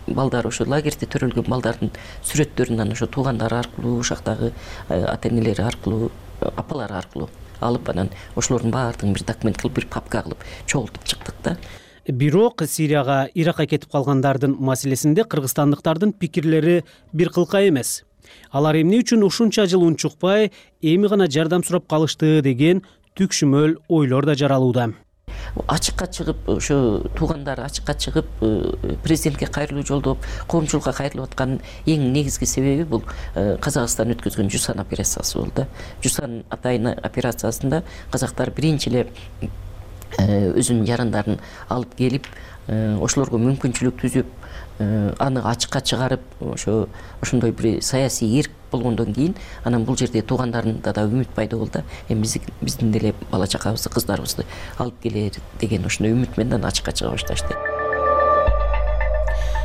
балдар, ошо лагерде төрөлгөн балдардын сүрөттөрүн анан ошо туугандары аркылуу, ушактагы ата энелери аркылуу, апалары аркылуу алып, анан ошолордун баардыгын бир документ кылып, бир папка кылып чогултуп чыктык да. Бирок Сирияга, Иракка кетип калгандардын маселесинде кыргызстандыктардын пикирлери бир кылка эмес. Алар эмне үчүн ушунча жыл унчукпай, эми гана жардам сурап калышты деген түкшүмөл ойлор да жаралууда. Ачыкка чыгып, ошо туугандары ачыкка чыгып, президентке кайрылуу жолдоп, коомчулукка кайрылып аткан эң негизги себеби бул Казакстан өткөзгөн Жусан операциясы болду. Жусан атайын операциясында казактар биринчи эле өзүнүн жарандарын алып келип, ошолорго мүмкүнчүлүк түзүп, аны ачыкка чыгарып, ошо ошондой бир саясий эрк болгондон кийин, анан бул жерде туугандарында да үмүт пайда болду. Эми биздин деле бала чакабызды, кыздарыбызды алып келер деген ошондой үмүт менен ачыкка чыга башташты.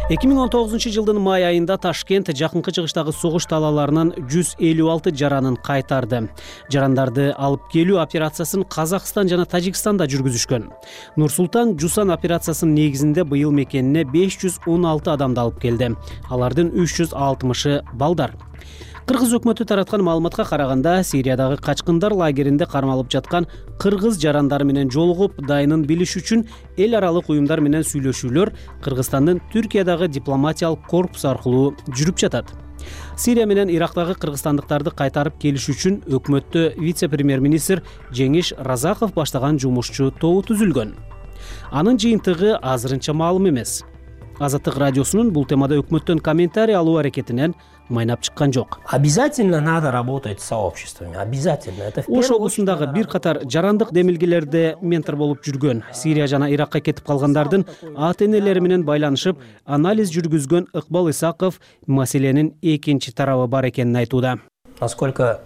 эки миң он тогузунчу жылдын май айында Ташкент жакынкы чыгыштагы согуш талааларынан жүз элүү алты жаранын кайтарды. Жарандарды алып келүү операциясын Казакстан жана Тажикстанда жүргүзүшкөн. Нур-Султан Жусан операциясынын негизинде быйыл мекенине беш жүз он алты адамды алып келди. Алардын үч жүз алтымышы балдар. кыргыз өкмөтү тараткан маалыматка караганда Сириядагы качкындар лагеринде кармалып жаткан кыргыз жарандары менен жолугуп дайынын билиш үчүн эл аралык уюмдар менен сүйлөшүүлөр Кыргызстандын Түркиядагы дипломатиялык корпус аркылуу жүрүп жатат. Сирия менен Ирактагы кыргызстандыктарды кайтарып келиш үчүн өкмөттө вице-премьер-министр Жеңиш Разаков баштаган жумушчу тобу түзүлгөн. Анын жыйынтыгы азырынча маалым эмес. Азаттык радиосунун бул темада өкмөттөн комментарий алуу аракетинен майнап чыккан жок. Обязательно надо работать с сообществами. Обязательно. Это в Ош облусундагы бир катар жарандык демилгелерде ментор болуп жүргөн, Сирия жана Иракка кетип калгандардын ата-энелери менен байланышып, анализ жүргүзгөн Ыкбал Исаков маселенин экинчи тарабы бар экенин айтууда. Насколько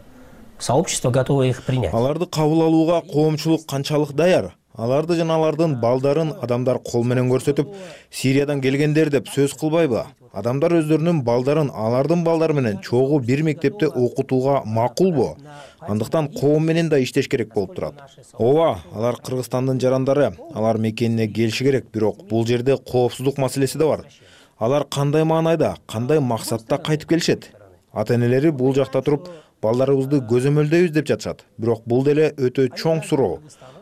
сообщество готово их принять? Аларды кабыл алууга коомчулук канчалык даяр? Аларды жана алардын балдарын адамдар кол менен көрсөтүп, Сириядан келгендер деп сөз кылбайбы? Адамдар өздөрүнүн балдарын алардын балдары менен чогуу бир мектепте окутууга макулбу? Андыктан коом менен да иштеш керек болуп турат. Ооба, алар Кыргызстандын жарандары, алар мекенине келиши керек, бирок бул жерде коопсуздук маселеси да бар. Алар кандай маанайда, кандай максатта кайтып келишет? Ата-энелери бул жакта туруп, балдарыбызды көзөмөлдөйбүз деп жатышат. Бирок бул деле өтө чоң суроо.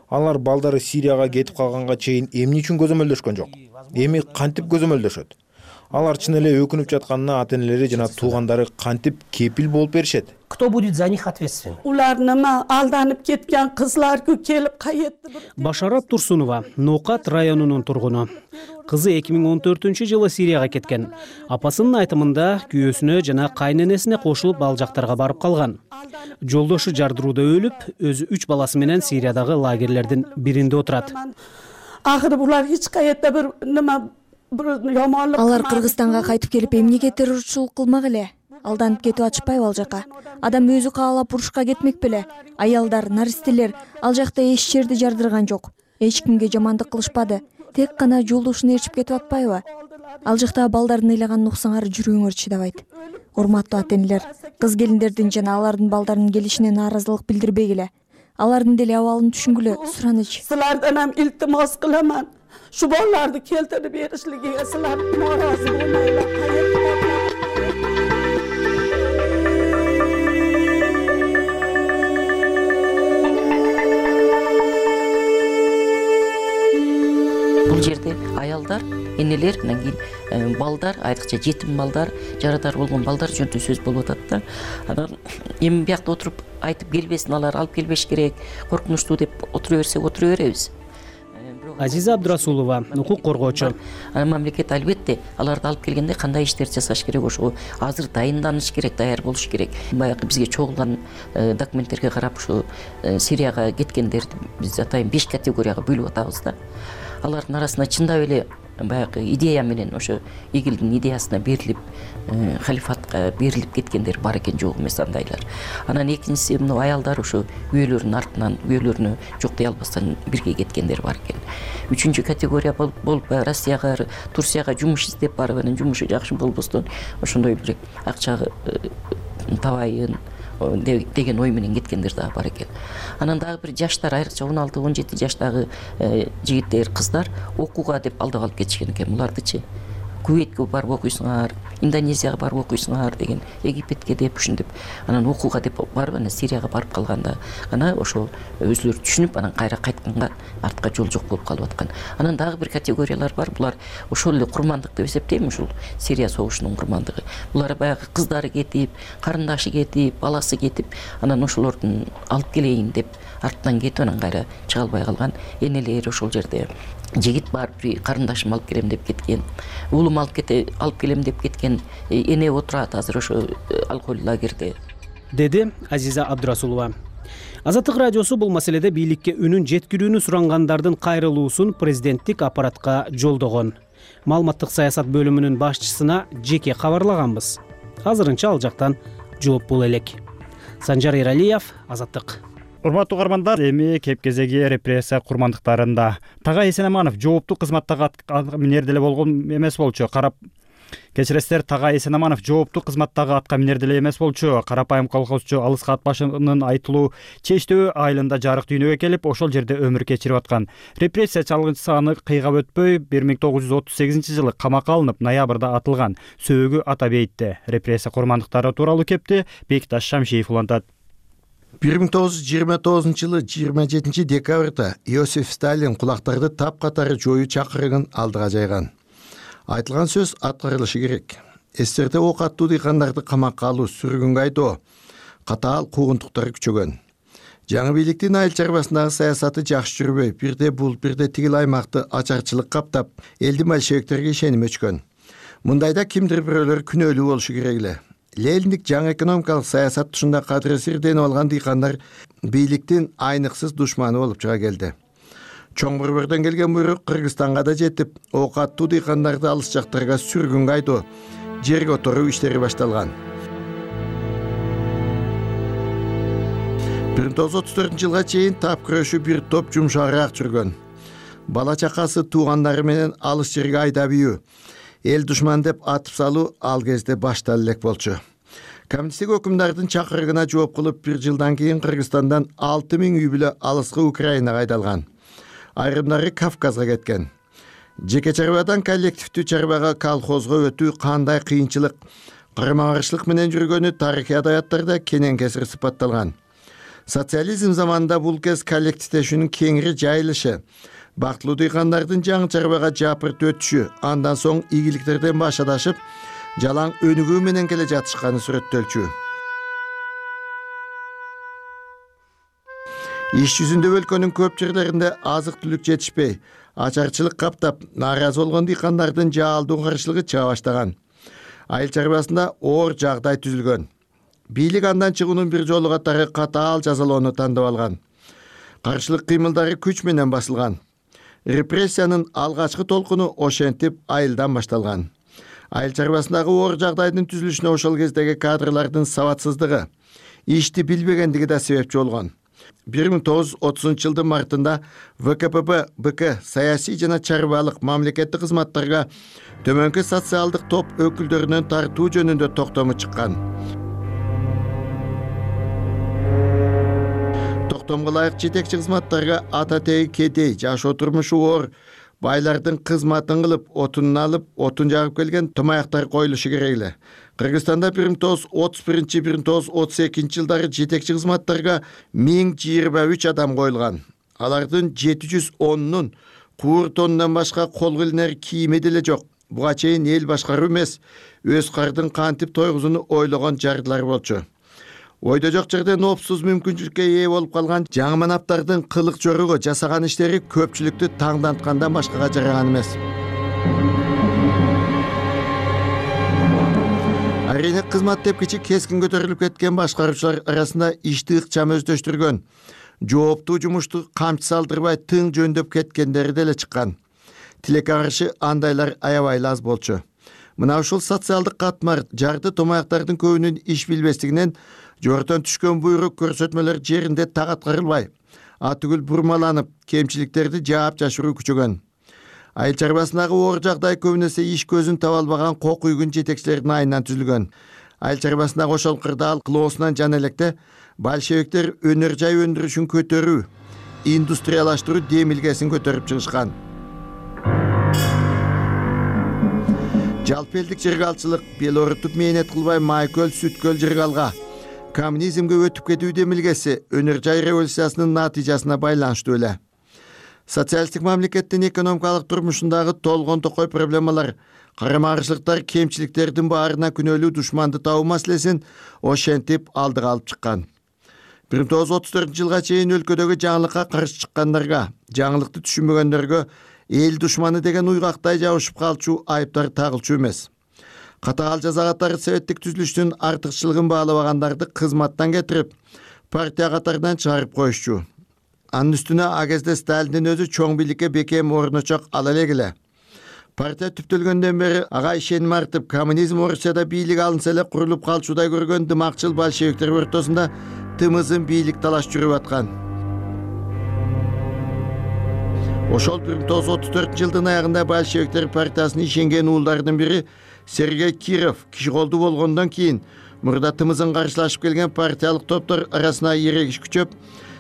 Алар балдары Сирияга кетип калганга чейин эмне үчүн көзөмөлдөшкөн жок? Эми кантип көзөмөлдөшөт? Алар чын эле өкүнүп жатканына ата-энелери жана туугандары кантип кепил болуп беришет? Кто будет за них ответственен? Улар нема алданып кеткен кызларга келип кайтты. Башарат Турсунова Нокат районунун тургуну. Кызы эки миң он төртүнчү жылы Сирияга кеткен. Апасынын айтымында күйөөсүнө жана кайненесине кошулуп ал жактарга барып калган. Жолдошу жардырууда өлүп, өзү үч баласы менен Сириядагы лагерлердин биринде отурат. Акыры булар эч каерде бир нема Алар Кыргызстанга кайтып келип эмнеге террорчулук кылмак эле? Алданып кетип атышпайбы ал жака? Адам өзү каалап урушка кетмек беле? Аялдар, наристелер ал жакта эч жерди жардырган жок. Эч кимге жамандык кылышпады. Тек гана жолдошуна ээрчип кетип атпайбы? Ал жакта балдардын ыйлаган нуксаңар жүрөгүңөр чыдабайт. Урматтуу ата-энелер, кыз келиндердин жана алардын балдарынын келишине нааразылык билдирбегиле. Алардын деле абалын түшүнгүлө, сураныч. Силерден ham iltimos qilaman. Shu bolalarni keltirib berishligiga sizlar norozi bo'lmanglar. Бул жерде аялдар, энелер, анан кийин балдар, айрыкча жетим балдар, жарадар болгон балдар жөнүндө сөз болуп атат да. Анан эми биякта отуруп айтып келбесин, алар алып келбеш керек, коркунучтуу деп отура берсек отура беребиз. Азиза Абдурасулова, укук коргоочу. Анан мамлекет албетте аларды алып келгенде кандай иштерди жасаш керек, ошо азыр дайынданыш керек, даяр болуш керек. Баягы бизге чогулган документтерге карап ушу Сирияга кеткендерди биз атайын беш категорияга бөлүп атабыз да. Алардын арасында чындап эле баягы идея менен ошо игилдин идеясына берилип, халифатка берилип кеткендер бар экен, жок эмес андайлар. Анан экинчиси мына аялдар ошо үйөлөрүнүн артынан, үйөлөрүнө жок дей албастан бирге кеткендер бар экен. Үчүнчү категория болуп Россияга, Турцияга жумуш издеп барып, анан жумушу жакшы болбостон ошондой бир акча табайын деген ой менен кеткендер дагы бар экен. Анан дагы бир жаштар, айрыкча он алты он жети жаштагы жигиттер, кыздар окууга деп алдап алып кетишкен экен. Булардычы Кувейтке барып окуйсуңар, Индонезияга барып окуйсуңар деген, Египетке деп ушинтип, анан окууга деп барып, анан Сирияга барып калганда гана ошо өзүлөрү түшүнүп, анан кайра кайтканга артка жол жок болуп калып аткан. Анан дагы бир категориялар бар. Булар ошол эле курмандык деп эсептейм, ушул Сирия согушунун курмандыгы. Булар баягы кыздары кетип, карындашы кетип, баласы кетип, анан ошолордун алып келейин деп арттан кетип, анан кайра чыга албай калган энелер ошол жерде. Жигит бар, бир карындашым алып келем деп кеткен, уулум алып кете алып келем деп кеткен эне отурат азыр ошо алкоголь лагерде, деди Азиза Абдурасулова. Азаттык радиосу бул маселеде бийликке үнүн жеткирүүнү сурангандардын кайрылуусун президенттик аппаратка жолдогон. Маалыматтык саясат бөлүмүнүн башчысына жеке кабарлаганбыз. Азырынча ал жактан жооп бул элек. Санжар Эралиев, Азаттык. Урматтуу угармандар, эми кеп кезеги репрессия курмандыктарында. Тагай Эсенаманов жооптуу кызматтагы минер деле болгон эмес болчу. Карап Кечиресиздер, Тагай Эсенаманов жооптуу кызматтагы атка минер деле эмес болчу. Карапайым колхозчу Алыска ат башынын айтылуу Чечтөө айылында жарык дүйнөгө келип, ошол жерде өмүр кечирип аткан. Репрессия чалгынчысы аны кыйгап өтпөй бир миң тогуз жүз отуз сегизинчи жылы камакка алынып, ноябрда атылган. Сөөгү атап эйтти. Репрессия курмандыктары тууралуу кепти Бекташ Шамшиев улантат. бир миң тогуз жүз жыйырма тогузунчу жылы жыйырма жетинчи декабрда Иосиф Сталин кулактарды тапкатары жоюу чакырыгын алдыга жайган. Айтылган сөз аткарылышы керек. Эстерде ок аттуу дыйкандарды камакка алуу, сүргүнгө айдоо, катаал куугунтуктары күчөгөн. Жаңы бийликтин айыл чарбасындагы саясаты жакшы жүрбөй, бирде бул, бирде тигил аймакты ачарчылык каптап, элдин большевиктерге ишеним өчкөн. Мындайда кимдир бирөөлөр күнөөлүү болушу керек эле. Лениндик жаңы экономикалык саясат тушунда кадыресирденип алган дыйкандар бийликтин айныксыз душманы болуп чыга келди. Чоң борбордон келген буйрук Кыргызстанга да жетип, ок аттуу дыйкандарды алыс жактарга сүргүнгө айдоо, жерге которуу иштери башталган. бир миң тогуз жүз отуз төртүнчү жылга чейин тап күрөшүү бир топ жумшагыраак жүргөн. Бала чакасы, туугандары менен алыс жерге айдап ийүү, эл душман деп атып салуу ал кезде башталып элек болчу. Коммунисттик өкүмдардын чакырыгына жооп кылып, бир жылдан кийин Кыргызстандан алты миң үй бүлө алыскы Украинага айдалган. Айрымдары Кавказга кеткен. Жеке чарбадан коллективдүү чарбага, колхозго өтүү кандай кыйынчылык, карама каршылык менен жүргөнү тарыхый адабияттарда кенен кесир сыпатталган. Социализм заманында бул кез коллективдешүүнүн кеңири жайылышы, бактылуу дыйкандардын жаңы чарбага жапырт өтүшү, андан соң ийгиликтерден баш адашып, жалаң өнүгүү менен келе жатышканы сүрөттөлчү. Иш жүзүндө өлкөнүн көп жерлеринде азык түлүк жетишпей, ачарчылык каптап, нааразы болгон дыйкандардын жаалдуу каршылыгы чыга баштаган. Айыл чарбасында оор жагдай түзүлгөн. Бийлик андан чыгуунун бир жолу катары катаал жазалоону тандап алган. Каршылык кыймылдары күч менен басылган. Репрессиянын алгачкы толкуну ошентип айылдан башталган. Айыл чарбасындагы оор жагдайдын түзүлүшүнө ошол кездеги кадрлардын сабатсыздыгы, ишти билбегендиги да себепчи болгон. бир миң тогуз жүз отузунчу жылдын мартында вэ ка пэ бэ бэ ка саясий жана чарбалык мамлекеттик кызматтарга төмөнкү социалдык топ өкүлдөрүнөн тартуу жөнүндө токтому чыккан. Токтомго ылайык жетекчи кызматтарга ата теги кедей, жашоо турмушу оор, байлардын кызматын кылып, отунун алып, отун жагып келген томаяктар коюлушу керек эле. Кыргызстанда бир миң тогуз жүз отуз биринчи — бир миң тогуз жүз отуз экинчи жылдары жетекчи кызматтарга миң жыйырма үч адам коюлган. Алардын жети жүз онунун куур тонунан башка колго илинер кийими деле жок. Буга чейин эл башкаруу эмес, өз кардын кантип тойгузууну ойлогон жардылар болчу. Ойдо жок жерден опсуз мүмкүнчүлүккө ээ болуп калган жаңы манаптардын кылык жоругу, жасаган иштери көпчүлүктү таңданткандан башкага жараган эмес. Арийне кызмат тепкичи кескин көтөрүлүп кеткен башкаруучулар арасында ишти ыкчам өздөштүргөн, жооптуу жумушту камчы салдырбай тың жөндөп кеткендери деле чыккан. Тилекке каршы андайлар аябай аз болчу. Мына ушул социалдык катмар жарды томаяктардын көбүнүн иш билбестигинен жогорудон түшкөн буйрук көрсөтмөлөр жеринде так аткарылбай, атүгүл бурмаланып, кемчиликтерди жаап жашыруу күчөгөн. Айыл чарбасындагы оор жагдай көбүнесе иш көзүн таба албаган кок үйгүн жетекчилердин айынан түзүлгөн. Айыл чарбасындагы ошол кырдаал кылоосунан жана электе большевиктер өнөр жай өндүрүшүн көтөрүү, индустриялаштыруу демилгесин көтөрүп чыгышкан. Жалпы элдик жыргалчылык, бел орутуп мээнет кылбай майкөл, сүткөл жыргалга, коммунизмге өтүп кетүү демилгеси өнөр жай революциясынын натыйжасына байланыштуу эле. Социалистик мамлекеттин экономикалык турмушундагы толгон токой проблемалар, карама каршылыктар, кемчиликтердин баарына күнөөлүү душманды табуу маселесин ошентип алдыга алып чыккан. бир миң тогуз жүз отуз төртүнчү жылга чейин өлкөдөгү жаңылыкка каршы чыккандарга, жаңылыкты түшүнбөгөндөргө эл душманы деген уйгактай жабышып калчу айыптар тагылчу эмес. Катаал жаза катары советтик түзүлүштүн артыкчылыгын баалабагандарды кызматтан кетирип, партия катарынан чыгарып коюшчу. Анын үстүнө а кезде Сталиндин өзү чоң бийликке бекем орночок ала элек эле. Партия түптөлгөндөн бери ага ишеним артып, коммунизм Орусияда бийлик алынса эле курулуп калчудай көргөн дымакчыл большевиктер ортосунда тымызын бийлик талаш жүрүп аткан. Ошол бир миң тогуз жүз отуз төртүнчү жылдын аягында большевиктер партиясына ишенген уулдардын бири Сергей Киров киши колдуу болгондон кийин мурда тымызын каршылашып келген партиялык топтор арасына эрегиш күчөп,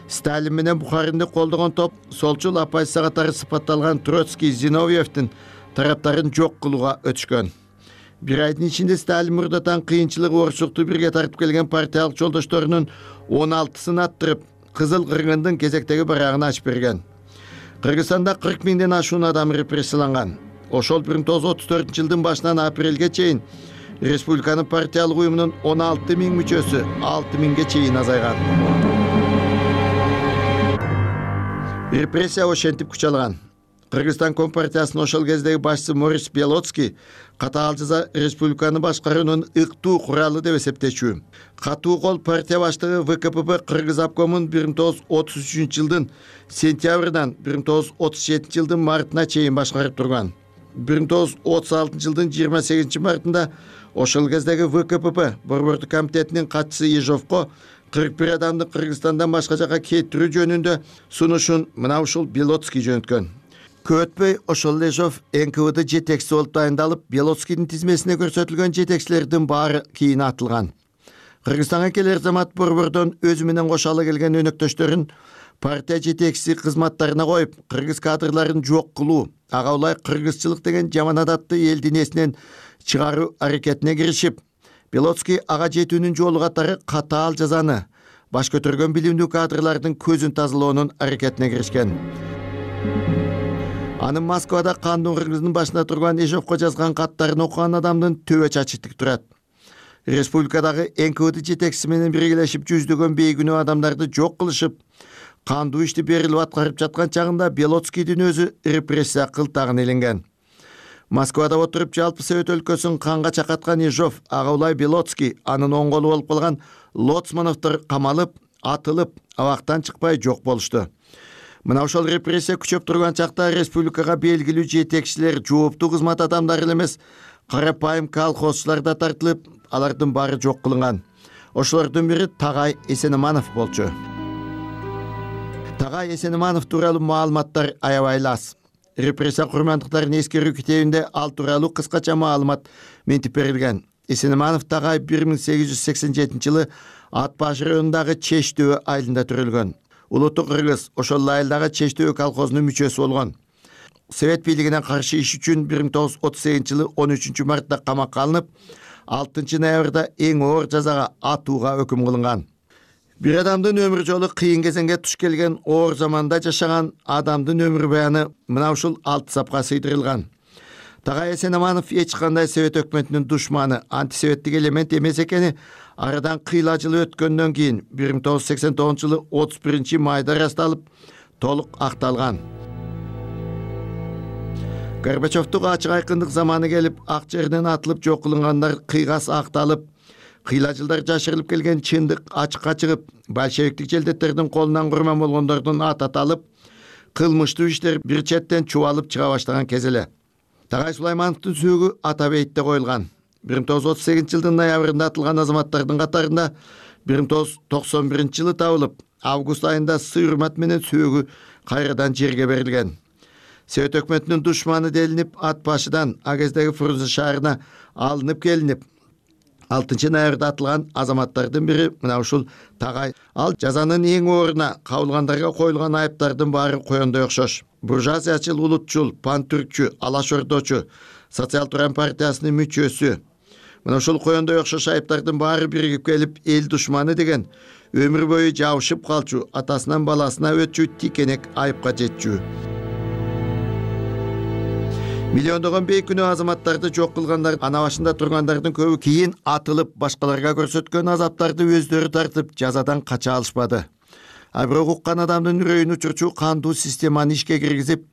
Сталин менен Бухаринди колдогон топ солчул оппозиция катары сыпатталган Троцкий, Зиновьевдин тараптарын жок кылууга өтүшкөн. Бир айдын ичинде Сталин мурдатан кыйынчылык, орчулукту бирге тартып келген партиялык жолдошторунун он алтысын аттырып, Кызыл кыргындын кезектеги барагын ачып берген. Кыргызстанда кырк миңден ашуун адам репрессияланган. Ошол бир миң тогуз жүз отуз төртүнчү жылдын башынан апрелге чейин республиканын партиялык уюмунун он алты миң мүчөсү алты миңге чейин азайган. Репрессия ошентип күч алган. Кыргызстан Компартиясынын ошол кездеги башчысы Морис Белоцкий катаал жаза республиканы башкаруунун ыктуу куралы деп эсептечү. Катуу кол партия баштыгы вэ ка пэ бэ Кыргыз обкомун бир миң тогуз жүз отуз үчүнчү жылдын сентябрынан бир миң тогуз жүз отуз жетинчи жылдын мартына чейин башкарып турган. бир миң тогуз жүз отуз алтынчы жылдын жыйырма сегизинчи мартында ошол кездеги вэ ка пэ бэ борбордук комитетинин катчысы Ежовко кырк бир адамды Кыргызстандан башка жака кетирүү жөнүндө сунушун мына ушул Белоцкий жөнөткөн. Көп өтпөй ошол Ежов эн ка вэ дэ жетекчиси болуп дайындалып, Белоцкийдин тизмесине көрсөтүлгөн жетекчилердин баары кийин атылган. Кыргызстанга келер замат борбордон өзү менен кошо келген өнөктөштөрүн партия жетекчиси кызматтарына коюп, кыргыз кадрларын жок кылуу, ага улай кыргызчылык деген жаман адатты элдин эсинен чыгаруу аракетине киришип, Белоцкий ага жетүүнүн жолу катары катаал жазаны, баш көтөргөн билимдүү кадрлардын көзүн тазалоонун аракетине киришкен. Анын Москвада кандуу кыргыздын башында турган Ежовко жазган каттарын окуган адамдын төбө чачы тик турат. Республикадагы эн ка вэ дэ жетекчиси менен биргелешип жүздөгөн бейгүнөө адамдарды жок кылышып, кандуу ишти берилип аткарып жаткан чагында Белоцкийдин өзү репрессия кылтагына иленген. Москвада отуруп жалпы Совет өлкөсүн канга чакаткан Ежов, ага улай Белоцкий, анын оң колу болуп калган Лоцмановдор камалып, атылып, абактан чыкпай жок болушту. Мына ошол репрессия күчөп турган чакта республикага белгилүү жетекчилер, жооптуу кызмат адамдары эле эмес, карапайым колхозчулар да тартылып, алардын баары жок кылынган. Ошолордун бири Тагай Эсенеманов болчу. Тагай Эсенеманов тууралуу маалыматтар аябай аз. Репрессия курмандыктарын эскерүү китебинде ал тууралуу кыскача маалымат ментип берилген. Эсенеманов Тагай бир миң сегиз жүз сексен жетинчи жылы Ат баш районундагы Чештөө айылында төрөлгөн. Улуттуу кыргыз ошол айылдагы Чештөө колхозунун мүчөсү болгон. Совет бийлигине каршы иш үчүн бир миң тогуз жүз отуз сегизинчи жылы он үчүнчү мартта камакка алынып, алтынчы ноябрда эң оор жазага атууга өкүм кылынган. Бир адамдын өмүр жолу кыйын кезеңге туш келген, оор заманда жашаган адамдын өмүр баяны мына ушул алты сапка сыйдырылган. Тагай Эсенеманов эч кандай Совет өкмөтүнүн душманы, антисоветтик элемент эмес экени арадан кыйла жыл өткөндөн кийин бир миң тогуз жүз сексен тогузунчу жылы отуз биринчи майда ырасталып, толук акталган. Горбачевдук ачык айкындык заманы келип, ак жерден атылып жок кылынгандар кыйгас акталып, кыйла жылдар жашырылып келген чындык ачыкка чыгып, большевиктик желдеттердин колунан курман болгондордун аты аталып, кылмыштуу иштер бир четтен чубалып чыга баштаган кез эле. Тагай Сулаймановдун сөөгү Атабейтте коюлган. бир миң тогуз жүз отуз сегизинчи жылдын ноябрында атылган азаматтардын катарында бир миң тогуз жүз токсон биринчи жылы табылып, август айында сый-урмат менен сөөгү кайрадан жерге берилген. Совет өкмөтүнүн душманы делинип, ат башыдан а кездеги Фрунзе шаарына алынып келинип, алтынчы ноябрда атылган азаматтардын бири мына ушул Тагай. Ал жазанын эң ооруна кабылгандарга коюлган айыптардын баары коёндой окшош. Буржуазиячыл, улутчул, пантүркчү, алаш ордочу, социал-туран партиясынын мүчөсү. Мына ушул коёндой окшош айыптардын баары биригип келип, эл душманы деген өмүр бою жабышып калчу, атасынан баласына өтчү тикенек айыпка жетчү. Миллиондогон бейкүнөө азаматтарды жок кылгандар, ана башында тургандардын көбү кийин атылып, башкаларга көрсөткөн азаптарды өздөрү тартып, жазадан кача алышпады. А бирок уккан адамдын үрөйүн учурчу кандуу системаны ишке киргизип,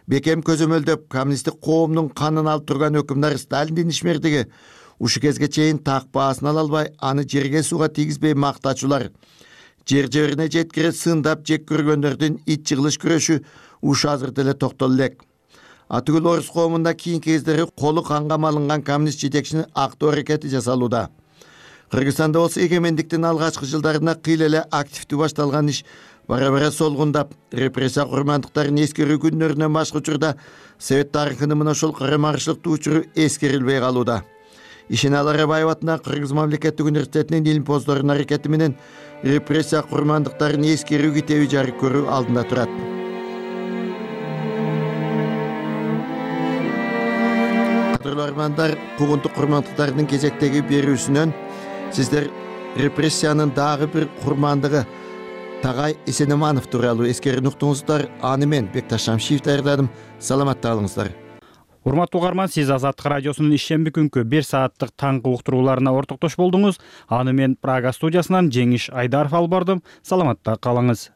бекем көзөмөлдөп, коммунисттик коомдун канын алып турган өкүмдар Сталиндин ишмердиги ушу кезге чейин так баасын ала албай, аны жерге сууга тийгизбей мактачулар, жер жерине жеткире сындап жек көргөндөрдүн ит жыгылыш күрөшү ушу азыр деле токтоло элек. Атүгүл орус коомунда кийинки кездери колу канга малынган коммунист жетекчинин актоо аракети жасалууда. Кыргызстанда болсо эгемендиктин алгачкы жылдарында кыйла эле активдүү башталган иш бара-бара солгундап, репрессия курмандыктарын эскерүү күннөрүнөн башка учурда Совет тарыхынын мына ошол карама-каршылыктуу учуру эскерилбей калууда. Ишеналы Арабаев атындагы Кыргыз мамлекеттик университетинин илимпоздорунун аракети менен репрессия курмандыктарын эскерүү китеби жарык көрүү алдында турат. Кадрлармандар куугунтук курмандыктардын кезектеги берүүсүнөн сиздер репрессиянын дагы бир курмандыгы Тагай Эсенеманов тууралуу эскерүүнү уктуңуздар. Аны мен Бекташ Шамшиев даярдадым. Саламатта калыңыздар. Урматтуу угарман, сиз Азаттык радиосунун ишемби күнкү бир сааттык таңкы уктурууларына ортоктош болдуңуз. Аны мен Прага студиясынан Жеңиш Айдаров алып бардым. Саламатта калыңыз.